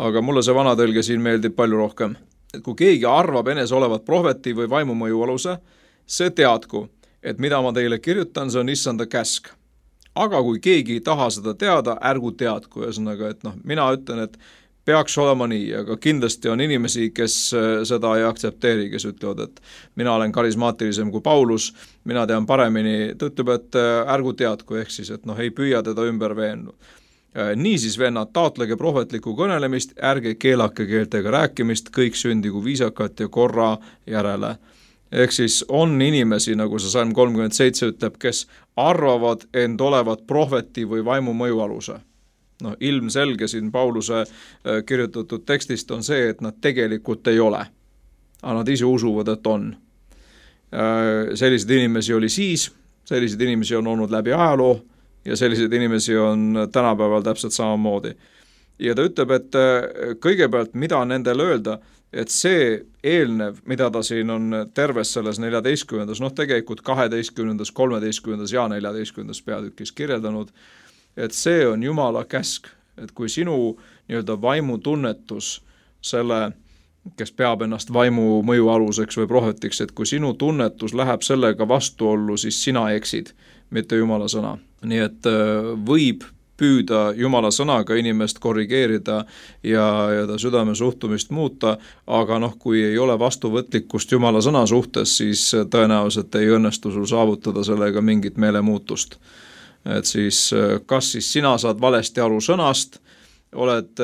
aga mulle see vanatõlge siin meeldib palju rohkem. Et kui keegi arvab enese olevat prohveti või vaimu mõju aluse, see teadku, et mida ma teile kirjutan, see on issanda käsk. Aga kui keegi ei taha seda teada, ärgu teadku, ühesõnaga, et noh, mina ütlen, et peaks olema nii, aga kindlasti on inimesi, kes seda ei aktsepteeri, kes ütlevad, et mina olen karismaatilisem kui Paulus, mina tean paremini, ta ütleb, et ärgu teadku, ehk siis, et noh, ei püüa teda ümber veennu. Niisiis vennad, taotlege prohvetlikku kõnelemist, ärge keelake keeltega rääkimist, kõik sündigu viisakat ja korra järele. Ehk siis on inimesi, nagu see salm kolmkümmend seitse ütleb, kes arvavad end olevat prohveti või vaimu mõju aluse. No, ilmselge siin Pauluse kirjutatud tekstist on see, et nad tegelikult ei ole. Aga nad ise usuvad, et on. Selliseid inimesi oli siis, selliseid inimesi on olnud läbi ajaloo ja selliseid inimesi on tänapäeval täpselt samamoodi. Ja ta ütleb, et kõigepealt, mida nendel öelda, et see eelnev, mida ta siin on terves selles neljateistkümnendas, noh tegelikult kaheteistkümnendas, kolmeteistkümnendas ja neljateistkümnendas peatükis kirjeldanud, et see on Jumala käsk, et kui sinu nii-öelda vaimutunnetus selle, kes peab ennast vaimu mõju aluseks või prohvetiks, et kui sinu tunnetus läheb sellega vastuollu, siis sina eksid, mitte Jumala sõna. Nii et võib püüda Jumala sõnaga inimest korrigeerida ja, ja ta südame suhtumist muuta, aga noh, kui ei ole vastuvõtlikkust Jumala sõna suhtes, siis tõenäoliselt ei õnnestu sul saavutada sellega mingit meelemuutust. Et siis kas siis sina saad valesti aru sõnast, oled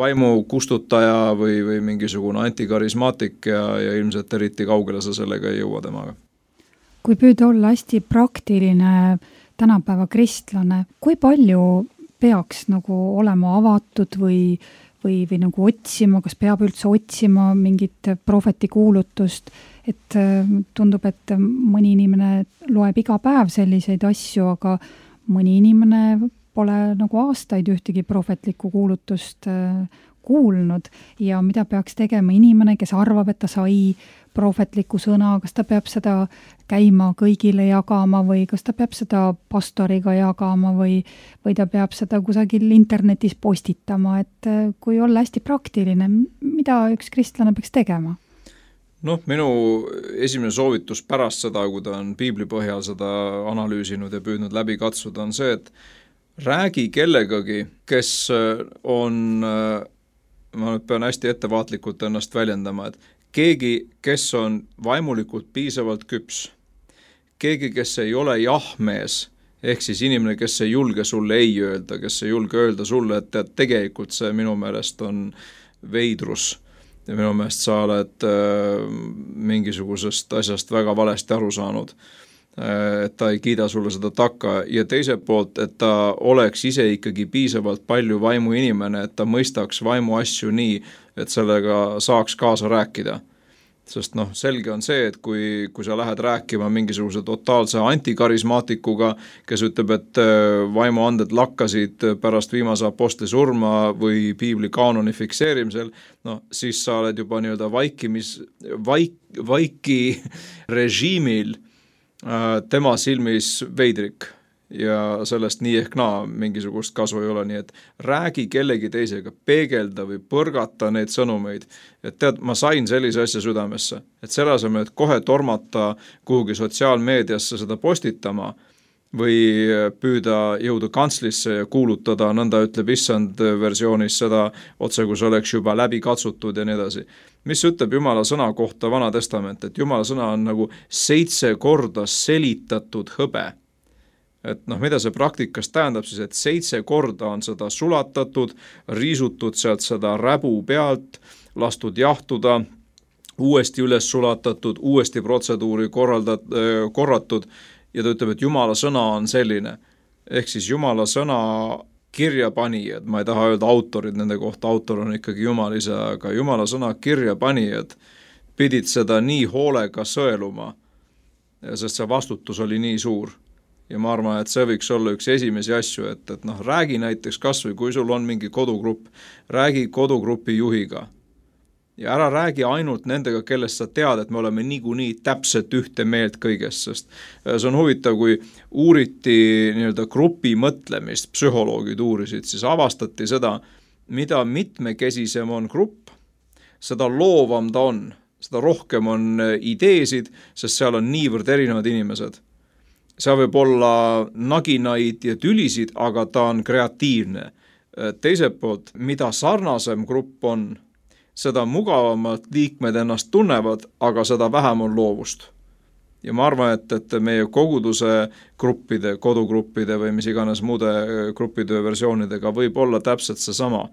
vaimu kustutaja või, või mingisugune antikarismaatik ja, ja ilmselt eriti kaugele sa sellega ei jõua temaga. Kui püüda olla hästi praktiline tänapäeva kristlane, kui palju peaks nagu olema avatud või, või, või nagu otsima, kas peab üldse otsima mingit prohveti kuulutust, et tundub, et mõni inimene loeb iga päev selliseid asju, aga mõni inimene pole nagu aastaid ühtegi prohvetlikku kuulutust kuulnud ja mida peaks tegema inimene, kes arvab, et ta sai prohvetliku sõna, kas ta peab seda käima kõigile jagama või kas ta peab seda pastoriga jagama või, või ta peab seda kusagil internetis postitama, et kui olla hästi praktiline, mida üks kristlane peaks tegema? Noh, minu esimene soovitus pärast seda, kui ta on piibli põhjal seda analüüsinud ja püüdnud läbi katsuda, on see, et räägi kellegagi, kes on, ma nüüd pean hästi ettevaatlikult ennast väljendama, et keegi, kes on vaimulikult piisavalt küps, keegi, kes ei ole jahmees, ehk siis inimene, kes ei julge sulle ei öelda, kes ei julge öelda sulle, et tead, tegelikult see minu meelest on veidrus ja minu meelest sa oled äh, mingisugusest asjast väga valesti aru saanud, äh, et ta ei kiida sulle seda takka ja teiselt poolt, et ta oleks ise ikkagi piisavalt palju vaimu inimene, et ta mõistaks vaimu asju nii, et sellega saaks kaasa rääkida. Sest noh, selge on see, et kui, kui sa lähed rääkima mingisuguse totaalse antikarismaatikuga, kes ütleb, et vaimuanded lakkasid pärast viimase apostli surma või piibli kaanoni fikseerimisel, no siis sa oled juba nii-öelda vaikimis, vaik, vaiki režiimil tema silmis veidrik. Ja sellest nii ehk naa mingisugust kasu ei ole, nii et räägi kellegi teisega, peegelda või põrgata neid sõnumeid, et tead, ma sain sellise asja südamesse, et selle asemel, et kohe tormata kuhugi sotsiaalmeediasse seda postitama või püüda jõuda kantslisse ja kuulutada, nõnda ütleb issand versioonis seda otse, kus oleks juba läbi katsutud ja nii edasi. Mis ütleb Jumala sõna kohta Vana Testament, et Jumala sõna on nagu seitse korda selitatud hõbe. et noh, mida see praktikas tähendab siis, et seitse korda on seda sulatatud, riisutud sealt seda räbu pealt, lastud jahtuda, uuesti üles sulatatud, uuesti protseduuri korraldat, korratud ja ta ütleb, et Jumala sõna on selline. Ehk siis Jumala sõna kirjapanijad, ma ei taha öelda autorid, nende kohta autor on ikkagi Jumal ise, aga Jumala sõna kirjapanijad pidid seda nii hoolega sõeluma, sest see vastutus oli nii suur. Ja ma arvan, et see võiks olla üks esimesi asju, et, et noh, räägi näiteks kas või, kui sul on mingi kodugrupp, räägi kodugrupi juhiga. Ja ära räägi ainult nendega, kellest sa tead, et me oleme niikuinii täpselt ühte meelt kõigest, sest see on huvitav, kui uuriti nii-öelda grupi mõtlemist, psühholoogid uurisid, siis avastati seda, mida mitmekesisem on grupp, seda loovam ta on, seda rohkem on ideesid, sest seal on niivõrd erinevad inimesed. See võib olla naginaid ja tülisid, aga ta on kreatiivne. Teiselt poolt, mida sarnasem grupp on, seda mugavamalt liikmed ennast tunnevad, aga seda vähem on loovust. Ja ma arvan, et, et meie koguduse gruppide, kodugruppide või mis iganes muude gruppitöö versioonidega võib olla täpselt see sama.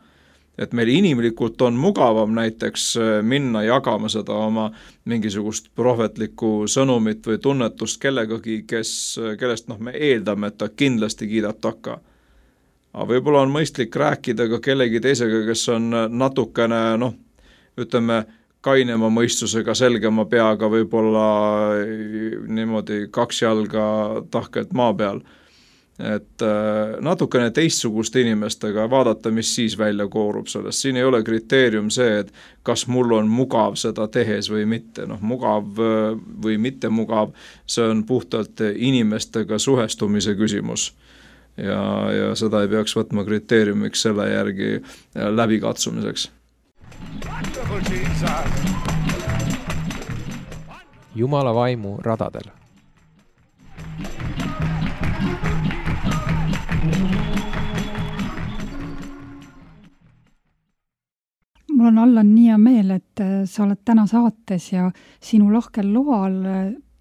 Et meil inimlikult on mugavam näiteks minna jagama seda oma mingisugust prohvetlikku sõnumit või tunnetust kellegagi, kes, kellest noh, me eeldame, et ta kindlasti kiidab takka. Aga võib-olla on mõistlik rääkida ka kellegi teisega, kes on natukene, noh, ütleme, kainema mõistusega, selgema peaga, võib-olla niimoodi kaks jalga tahkelt maa peal. Et natukene teistsugust inimestega vaadata, mis siis välja koorub sellest. Siin ei ole kriteerium see, et kas mul on mugav seda tehes või mitte. Noh, mugav või mitte mugav, see on puhtalt inimestega suhestumise küsimus. Ja, ja seda ei peaks võtma kriteeriumiks selle järgi läbikatsumiseks. Jumala vaimu radadel. Mul on Allan nii hea meel, et sa oled täna saates ja sinu lahkel loal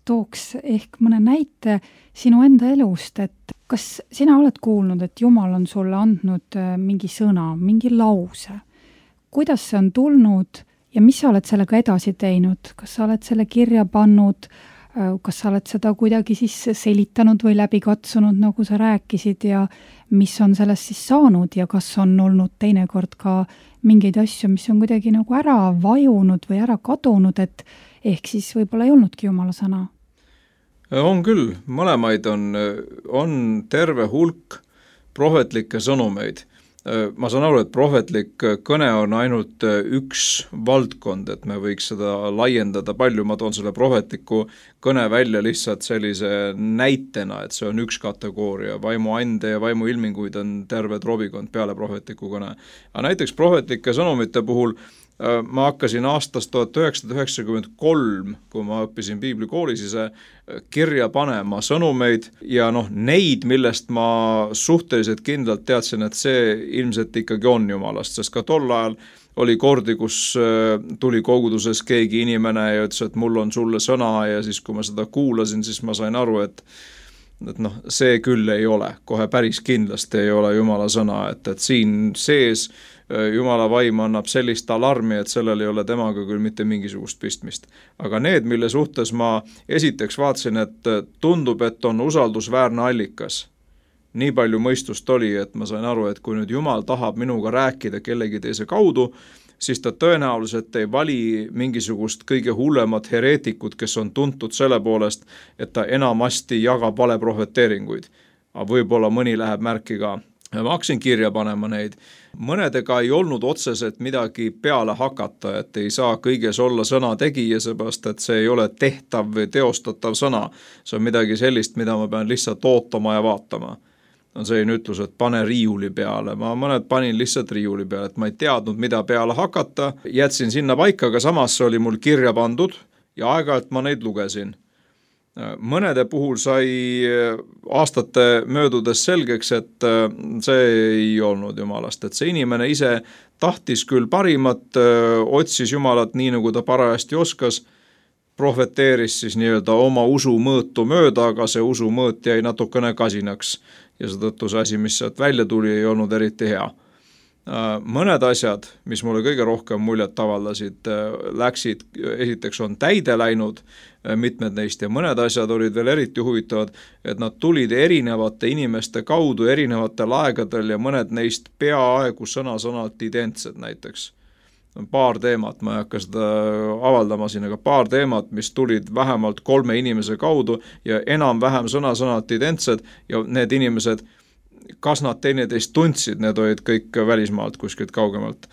tooks ehk mõne näite sinu enda elust, et kas sina oled kuulnud, et Jumal on sulle andnud mingi sõna, mingi lause? Kuidas see on tulnud ja mis sa oled sellega edasi teinud? Kas sa oled selle kirja pannud, kas sa oled seda kuidagi siis selitanud või läbi katsunud, nagu sa rääkisid ja mis on sellest siis saanud ja kas on olnud teinekord ka mingeid asju, mis on kuidagi nagu ära vajunud või ära kadunud, et ehk siis võib-olla ei olnudki Jumala sõna? On küll, mõlemaid on, on terve hulk prohvetlikke sõnumeid. Ma saan aru, et prohvetlik kõne on ainult üks valdkond, et me võiks seda laiendada palju, ma toon selle prohvetliku kõne välja lihtsalt sellise näitena, et see on üks kategooria, vaimuande ja vaimuilminguid on terve trobikond peale prohvetliku kõne. Aga näiteks prohvetlike sõnumite puhul ma hakkasin aastast tuhat üheksasada üheksakümmend kolm, kui ma õppisin piiblikoolis ise kirja panema sõnumeid ja noh, neid, millest ma suhteliselt kindlalt teadsin, et see ilmselt ikkagi on Jumalast, sest ka tol ajal oli kordi, kus tuli koguduses keegi inimene ja ütles, et mul on sulle sõna ja siis kui ma seda kuulasin, siis ma sain aru, et et noh, see küll ei ole, kohe päris kindlasti ei ole Jumala sõna, et, et siin sees Jumala vaim annab sellist alarmi, et sellel ei ole temaga küll mitte mingisugust pistmist. Aga need, mille suhtes ma esiteks vaatasin, et tundub, et on usaldusväärne allikas. Nii palju mõistust oli, et ma sain aru, et kui nüüd Jumal tahab minuga rääkida kellegi teise kaudu, siis ta tõenäoliselt ei vali mingisugust kõige hullemat hereetikut, kes on tuntud selle poolest, et ta enamasti jagab valeprohveteeringuid. Aga võib-olla mõni läheb märki ka. Ma hakkasin kirja panema neid. Mõnedega ei olnud otseselt midagi peale hakata, et ei saa kõiges olla sõna tegija, seepärast, et see ei ole tehtav või teostatav sõna. See on midagi sellist, mida ma pean lihtsalt ootama ja vaatama. On selline ütlus, et pane riiuli peale. Ma mõned panin lihtsalt riiuli peale, et ma ei teadnud, mida peale hakata. Jätsin sinna paika, aga samas oli mul kirja pandud ja aeg-ajalt ma neid lugesin. Mõnede puhul sai aastate möödudes selgeks, et see ei olnud Jumalast, et see inimene ise tahtis küll parimat, otsis Jumalat nii, nagu ta parajasti oskas prohveteeris siis nii-öelda oma usu mõõtu mööda, aga see usu mõõt jäi natukene kasinaks ja sedõttu see asi, mis sealt välja tuli, ei olnud eriti hea. Mõned asjad, mis mulle kõige rohkem muljet avaldasid, läksid, esiteks on täide läinud mitmed neist ja mõned asjad olid veel eriti huvitavad, et nad tulid erinevate inimeste kaudu erinevatel aegadel ja mõned neist peaaegu sõna-sõnalt identsed näiteks. Paar teemat, ma ei hakka seda avaldama siin, aga paar teemat, mis tulid vähemalt kolme inimese kaudu ja enam-vähem sõna-sõnalt identsed ja need inimesed, kas nad teineteist tundsid, need olid kõik välismaalt kuskilt kaugemalt.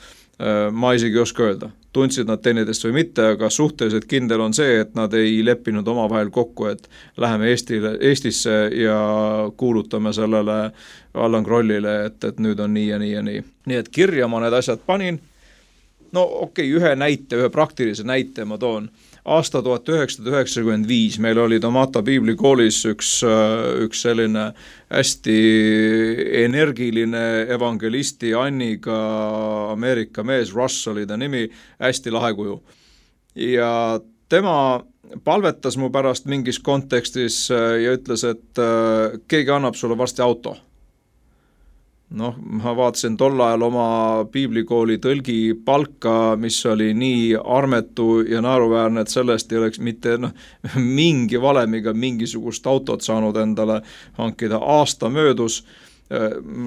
Ma isegi ei oska öelda, tundsid nad teineteist või mitte, aga suhteliselt kindel on see, et nad ei leppinud omavahel kokku, et läheme Eestile, Eestisse ja kuulutame sellele Allan Krollile, et, et nüüd on nii ja nii ja nii. Nii et kirja ma need asjad panin. No okei, okay, ühe näite, ühe praktilise näite ma toon. Aasta tuhat üheksasada üheksakümmend viis meil oli Tomata piiblikoolis üks, üks selline hästi energiline evangelisti Anniga Ameerika mees, Russ oli ta nimi, hästi lahe kuju. Ja tema palvetas mu pärast mingis kontekstis ja ütles, et keegi annab sulle varsti auto. Noh, ma vaatasin tol ajal oma piiblikooli tõlgi palka, mis oli nii armetu ja naeruväärne, et sellest ei oleks mitte no, mingi valemiga mingisugust autot saanud endale hankida. Aasta möödus,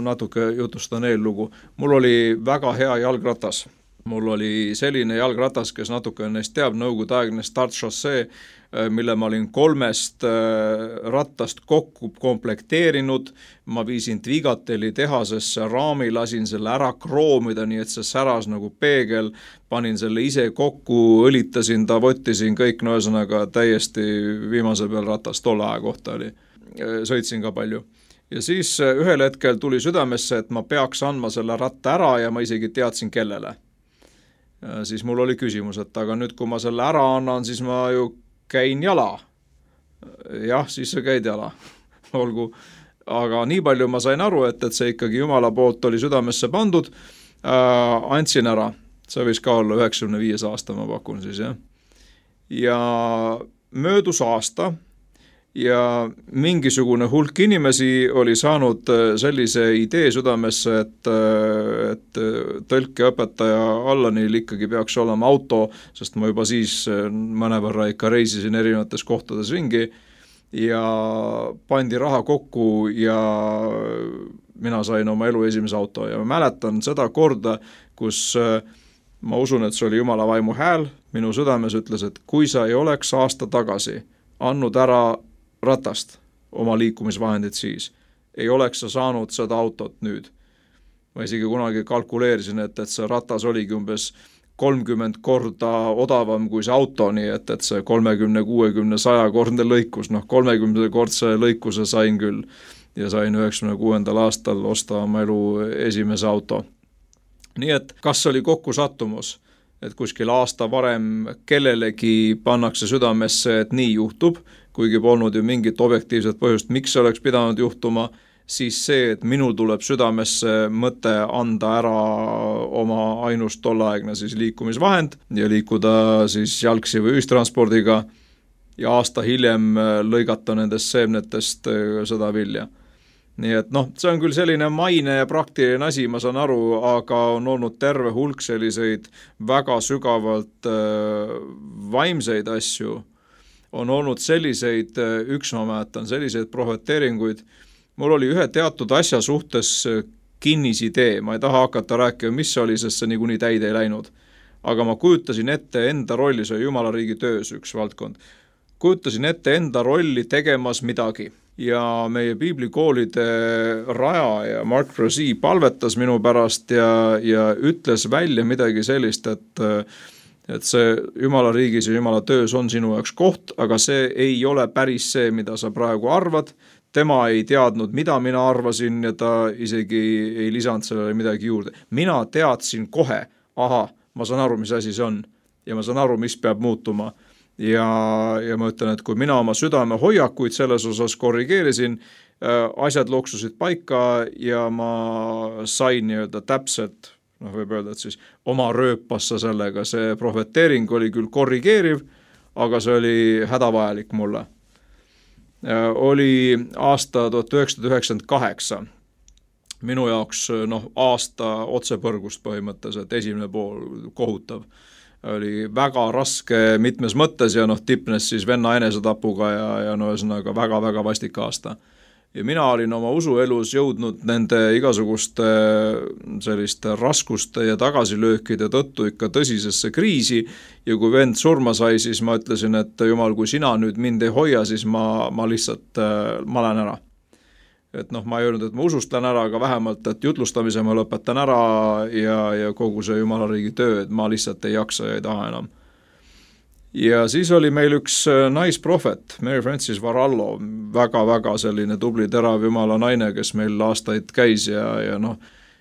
natuke jutustan eellugu, mul oli väga hea jalgratas. Mul oli selline jalgratas, kes natuke neist teab, nõukogude aegne Start Chaussee, mille ma olin kolmest rattast kokku komplekteerinud. Ma viisin Tvigateli tehasesse raami, lasin selle ära kroomida, nii et see säras nagu peegel, panin selle ise kokku, õlitasin ta, võttisin kõik, no ühesõnaga täiesti viimase peal ratas tolle aja kohta oli. Sõitsin ka palju. Ja siis ühel hetkel tuli südamesse, et ma peaks andma selle ratta ära ja ma isegi teadsin kellele. Siis mul oli küsimus, et aga nüüd kui ma selle ära annan, siis ma ju käin jala. Jah, siis sa käid jala. Olgu. Aga nii palju ma sain aru, et, et see ikkagi Jumala poolt oli südamesse pandud. Äh, andsin ära. See võis ka olla üheksakümne viies aasta, ma pakun siis. Jah. Ja möödus aasta ja mingisugune hulk inimesi oli saanud sellise idee südamesse, et, et tõlkeõpetaja Allanil ikkagi peaks olema auto, sest ma juba siis mõnevõrra ikka reisisin erinevates kohtades ringi ja pandi raha kokku ja mina sain oma elu esimese auto ja ma mäletan seda korda, kus ma usun, et see oli Jumala vaimu hääl, minu südames ütles, et kui sa ei oleks aasta tagasi andnud ära ratast, oma liikumisvahendid siis, ei oleks sa saanud seda autot nüüd. Ma isegi kunagi kalkuleerisin, et, et see ratas oligi umbes kolmkümmend korda odavam kui see auto, nii et, et see kolmekümne, kuuekümne, saja kordne lõikus, noh kolmekümne kordse lõikuse sain küll ja sain üheksakümne kuuendal aastal osta oma elu esimese auto. Nii et kas oli kokku sattumus, et kuskil aasta varem kellelegi pannakse südamesse, et nii juhtub, kuigi polnud ju mingit objektiivset põhjust, miks see oleks pidanud juhtuma, siis see, et minul tuleb südamesse mõte anda ära oma ainust tolleaegne siis liikumisvahend ja liikuda siis jalgsi või ühistranspordiga ja aasta hiljem lõigata nendest seemnetest seda vilja. Nii et noh, see on küll selline maine ja praktiline asi, ma saan aru, aga on olnud terve hulk selliseid väga sügavalt äh, vaimseid asju. On olnud selliseid, üks ma mäletan, selliseid prohveteeringuid. Mul oli ühe teatud asja suhtes kinnisidee, ma ei taha hakata rääkima, mis see oli, sest see niikuinii täide ei läinud. Aga ma kujutasin ette enda rolli, see Jumala riigi töös üks valdkond. Kujutasin ette enda rolli tegemas midagi. Ja meie piiblikoolide rajaja Mark Rosie palvetas minu pärast ja, ja ütles välja midagi sellist, et et see Jumala riigis ja Jumala töös on sinu jaoks koht, aga see ei ole päris see, mida sa praegu arvad. Tema ei teadnud, mida mina arvasin ja ta isegi ei lisanud sellele midagi juurde. Mina teadsin kohe, aha, ma saan aru, mis asi see on ja ma saan aru, mis peab muutuma. Ja, ja ma ütlen, et kui mina oma südame hoiakuid selles osas korrigeerisin, asjad loksusid paika ja ma sain nii-öelda täpselt, noh võib öelda, et siis oma rööpassa sellega, see prohveteering oli küll korrigeeriv, aga see oli hädavajalik mulle. Oli aasta tuhat üheksasada üheksakümmend kaheksa. Minu jaoks noh, aasta otsepõrgust põhimõtteliselt, esimene pool kohutav. Oli väga raske mitmes mõttes ja noh, tipnes siis venna enesetapuga ja, ja no ühesõnaga väga-väga vastik aasta. Ja mina olin oma usuelus jõudnud nende igasuguste selliste raskuste ja tagasilöökide tõttu ikka tõsisesse kriisi ja kui vend surma sai, siis ma ütlesin, et jumal, kui sina nüüd mind ei hoia, siis ma, ma lihtsalt, ma lähen ära. Et noh, ma ei öelnud, et ma usust lähen ära, aga vähemalt, et jutlustamise ma lõpetan ära ja, ja kogu see Jumalariigi töö, et ma lihtsalt ei jaksa ja ei taha enam. Ja siis oli meil üks naisprohvet, Mary Frances Varallo, väga-väga selline tubli terav Jumala naine, kes meil aastaid käis ja, ja noh,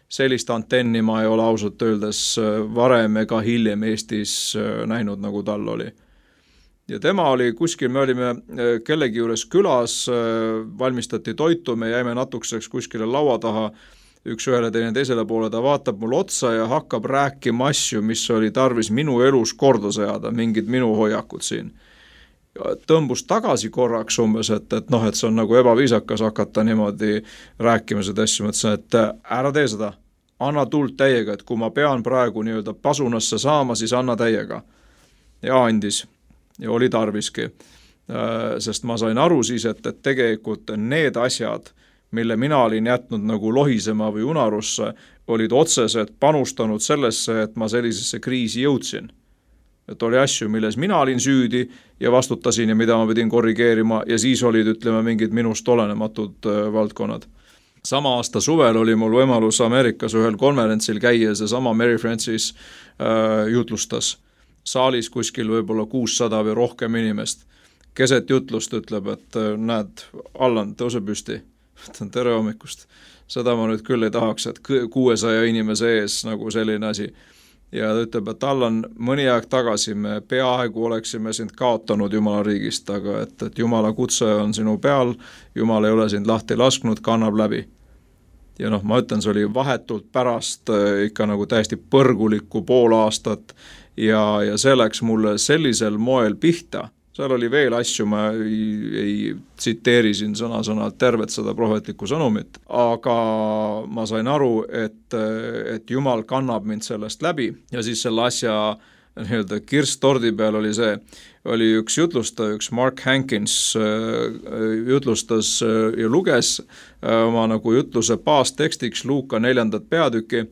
sellist antenni ma ei ole ausalt öeldes varem ega hiljem Eestis näinud, nagu tal oli. Ja tema oli kuskil, me olime kellegi juures külas, valmistati toitu, me jäime natukeseks kuskile laua taha, üks ühele teine teisele poole, ta vaatab mul otsa ja hakkab rääkima asju, mis oli tarvis minu elus korda seada, mingid minu hoiakud siin. Tõmbus tagasi korraks umbes, et, et noh, et see on nagu ebaviisakas hakata niimoodi rääkima seda asju, mõtlesin, et ära tee seda, anna tuld täiega, et kui ma pean praegu nii-öelda pasunasse saama, siis anna täiega. Ja andis. Ja oli tarviski, sest ma sain aru siis, et, et tegelikult need asjad, mille mina olin jätnud nagu lohisema või unarusse, olid otseselt panustanud sellesse, et ma sellisesse kriisi jõudsin. Et oli asju, milles mina olin süüdi ja vastutasin ja mida ma pidin korrigeerima ja siis olid, ütleme, mingid minust olenematud valdkonnad. Sama aasta suvel oli mul võimalus Ameerikas ühel konverentsil käia, see sama Mary Frances äh, jutlustas. Saalis kuskil võib-olla kuussada või rohkem inimest. Keset jutlust ütleb, et näed, Allan, tõuse püsti. Tere hommikust. Seda ma nüüd küll ei tahaks, et kuuesaja inimese ees nagu selline asi. Ja ta ütleb, et Allan, mõni aeg tagasi me peaaegu oleksime sind kaotanud Jumala riigist, aga et, et Jumala kutse on sinu peal, Jumal ei ole sind lahti lasknud, kannab läbi. Ja noh, ma ütlen, see oli vahetult pärast ikka nagu täiesti põrgulikku pool aastat ja, ja see läks mulle sellisel moel pihta. Seal oli veel asju, ma ei, ei tsiteeri siin sõna-sõnalt tervet seda prohvetlikku sõnumit, aga ma sain aru, et, et Jumal kannab mind sellest läbi ja siis selle asja nii-öelda kirstordi peal oli see, oli üks jutlustaja, üks Mark Hankins jutlustas ja luges oma nagu jutluse baastekstiks Luuka neljandat peatüki,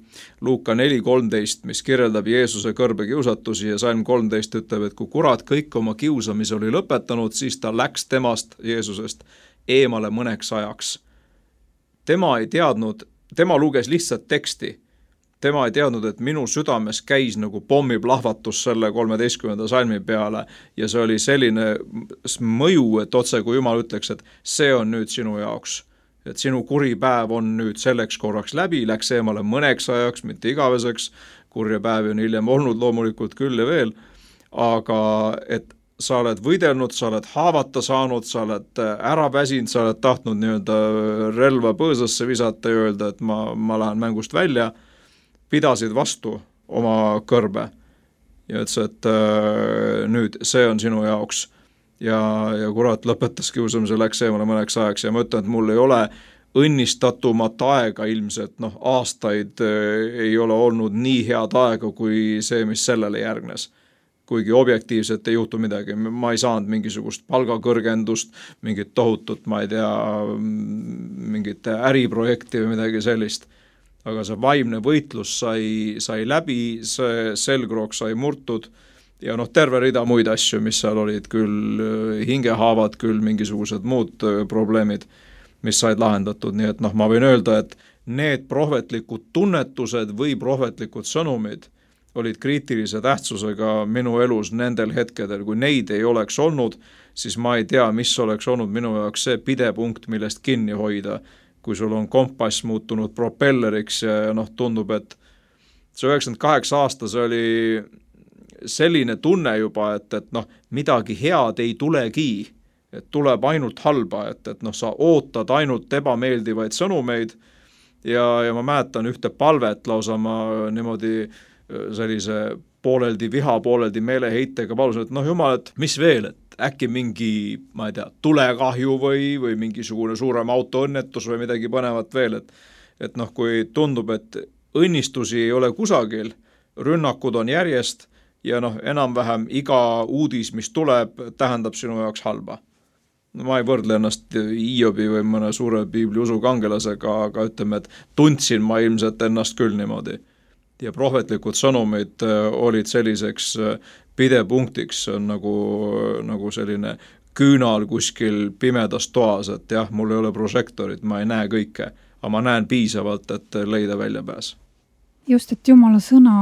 Luuka neli kolmteist, mis kirjeldab Jeesuse kõrbe kiusatusi ja salm kolmteist ütleb, et kui kurat kõik oma kiusamise oli lõpetanud, siis ta läks temast, Jeesusest, eemale mõneks ajaks. Tema ei teadnud, tema luges lihtsalt teksti. Tema ei teadnud, et minu südames käis nagu pommiplahvatus selle kolmeteistkümnenda salmi peale ja see oli selline mõju, et otse kui Jumal ütleks, et see on nüüd sinu jaoks. Et sinu kuri päev on nüüd selleks korraks läbi, läks eemale mõneks ajaks, mitte igaveseks, kurja päevi on hiljem olnud loomulikult küll ja veel, aga et sa oled võidelnud, sa oled haavata saanud, sa oled ära väsinud, sa oled tahtnud nii-öelda relva põõsasse visata ja öelda, et ma, ma lähen mängust välja, pidasid vastu oma kõrbe ja ütles, et äh, nüüd see on sinu jaoks ja, ja kurat lõpetas kiusamise, läks eemale mõneks ajaks ja ma ütlen, et mul ei ole õnnistatumat aega ilmselt, noh aastaid äh, ei ole olnud nii head aega kui see, mis sellele järgnes. Kuigi objektiivselt ei juhtu midagi, ma ei saanud mingisugust palgakõrgendust, mingit tohutut, ma ei tea, mingit äriprojekti või midagi sellist. Aga see vaimne võitlus sai, sai läbi, see selgroog sai murtud ja noh, terve rida muid asju, mis seal olid küll hingehaavad, küll mingisugused muud probleemid, mis said lahendatud. Nii et noh, ma võin öelda, et need prohvetlikud tunnetused või prohvetlikud sõnumid olid kriitilise tähtsusega minu elus nendel hetkedel. Kui neid ei oleks olnud, siis ma ei tea, mis oleks olnud minu jaoks see pidepunkt, millest kinni hoida, kui sul on kompass muutunud propelleriks ja, ja noh, tundub, et see üheksakümmend kaheksa aasta, see oli selline tunne juba, et, et noh, midagi head ei tulegi, et tuleb ainult halba, et, et noh, sa ootad ainult ebameeldivaid sõnumeid ja, ja ma mäletan ühte palvet lausa ma niimoodi sellise pooleldi viha, pooleldi meeleheitega, palusin, et noh, jumal, et mis veel, et äkki mingi, ma ei tea, tulekahju või, või mingisugune suurem autoõnnetus või midagi põnevat veel, et et noh, kui tundub, et õnnistusi ei ole kusagil, rünnakud on järjest ja noh, enam-vähem iga uudis, mis tuleb, tähendab sinu jaoks halba. No, ma ei võrdle ennast Hiobi või mõne suure piibli usukangelasega, aga ütleme, et tundsin ma ilmselt ennast küll niimoodi. Ja prohvetlikud sõnumid olid selliseks pidepunktiks, on nagu, nagu selline küünal kuskil pimedas toas, et jah, mul ei ole prožektorit, ma ei näe kõike, aga ma näen piisavalt, et leida väljapääs. Just, et Jumala sõna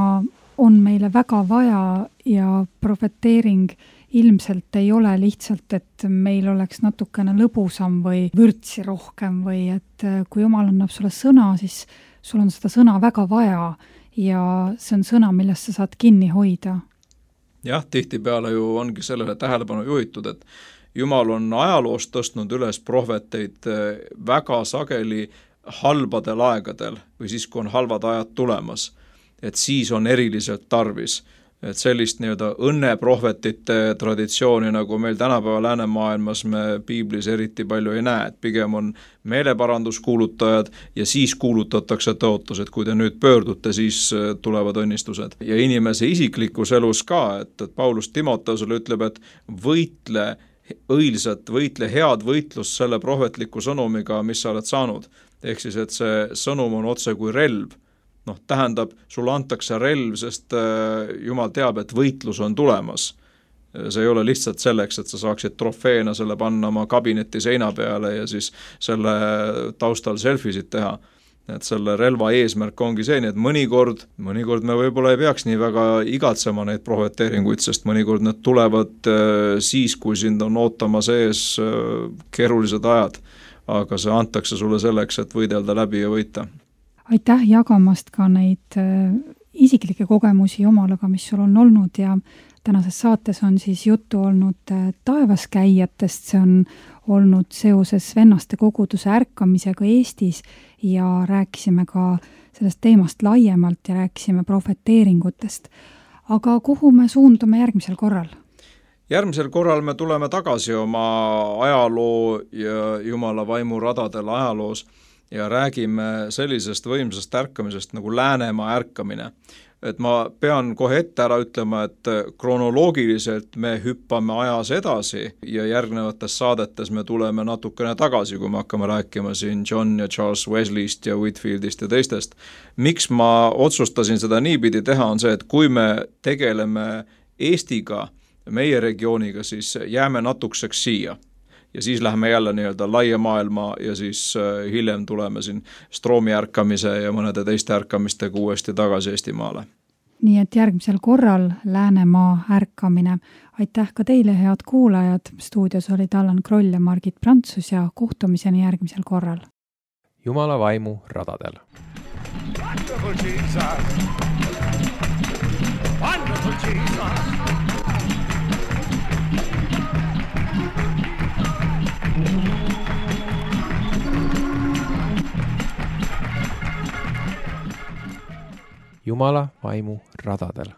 on meile väga vaja ja profeteering ilmselt ei ole lihtsalt, et meil oleks natukene lõbusam või vürtsi rohkem või et kui Jumal annab sulle sõna, siis sul on seda sõna väga vaja ja see on sõna, millest sa saad kinni hoida. Jah, tihtipeale ju ongi sellele tähelepanu juhitud, et Jumal on ajaloost tõstnud üles prohveteid väga sageli halbadel aegadel või siis, kui on halvad ajad tulemas, et siis on eriliselt tarvis. Et sellist nii-öelda õnneprohvetite traditsiooni, nagu meil tänapäeva läänemaailmas me piiblis eriti palju ei näe, et pigem on meeleparanduskuulutajad ja siis kuulutatakse tõotus, et kui te nüüd pöördute, siis tulevad õnnistused. Ja inimese isiklikus elus ka, et, et Paulus Timoteusele ütleb, et võitle õilsat, võitle head võitlust selle prohvetliku sõnumiga, mis sa oled saanud. Ehk siis, et see sõnum on otse kui relv. Noh, tähendab, sulle antakse relv, sest Jumal teab, et võitlus on tulemas. See ei ole lihtsalt selleks, et sa saaksid trofeena selle panna oma kabineti seina peale ja siis selle taustal selfisid teha. Et selle relva eesmärk ongi see, et mõnikord, mõnikord me võib-olla ei peaks nii väga igatsema neid prohveteeringuid, sest mõnikord need tulevad siis, kui sind on ootama sees keerulised ajad, aga see antakse sulle selleks, et võidelda läbi ja võita. Aitäh jagamast ka neid isiklikke kogemusi Jumalaga, mis sul on olnud ja tänases saates on siis juttu olnud taevaskäijatest, see on olnud seoses vennaste koguduse ärkamisega Eestis ja rääkisime ka sellest teemast laiemalt ja rääkisime profeteeringutest. Aga kuhu me suundume järgmisel korral? Järgmisel korral me tuleme tagasi oma ajaloo ja Jumala vaimu radadel ajaloos ja räägime sellisest võimsast ärkamisest nagu Läänemaa ärkamine. Et ma pean kohe ette ära ütlema, et kronoloogiliselt me hüppame ajas edasi ja järgnevates saadetes me tuleme natukene tagasi, kui me hakkame rääkima siin John ja Charles Wesleyst ja Whitfieldist ja teistest. Miks ma otsustasin seda niipidi teha, on see, et kui me tegeleme Eestiga, meie regiooniga, siis jääme natukeseks siia. Ja siis lähme jälle nii-öelda laia maailma ja siis hiljem tuleme siin Stroomi ärkamise ja mõnede teiste ärkamistega uuesti tagasi Eestimaale. Nii et järgmisel korral Läänemaa ärkamine. Aitäh ka teile, head kuulajad. Stuudios olid Allan Kroll ja Margit Prantsus ja kohtumiseni järgmisel korral. Jumala vaimu radadel. Wonderful Jesus. Wonderful Jesus. Jumala vaimu radadel.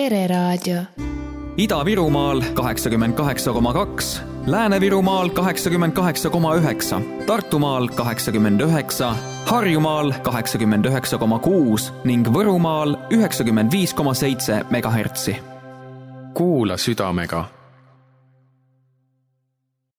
Pereraadio. Ida-Virumaal kaheksakümmend kaheksa koma kaks, Lääne-Virumaal kaheksakümmend kaheksa koma üheksa, Tartumaal kaheksakümmend üheksa, Harjumaal kaheksakümmend üheksa koma kuus ning Võrumaal üheksakümmend viis koma seitse megahertsi. Kuula südamega.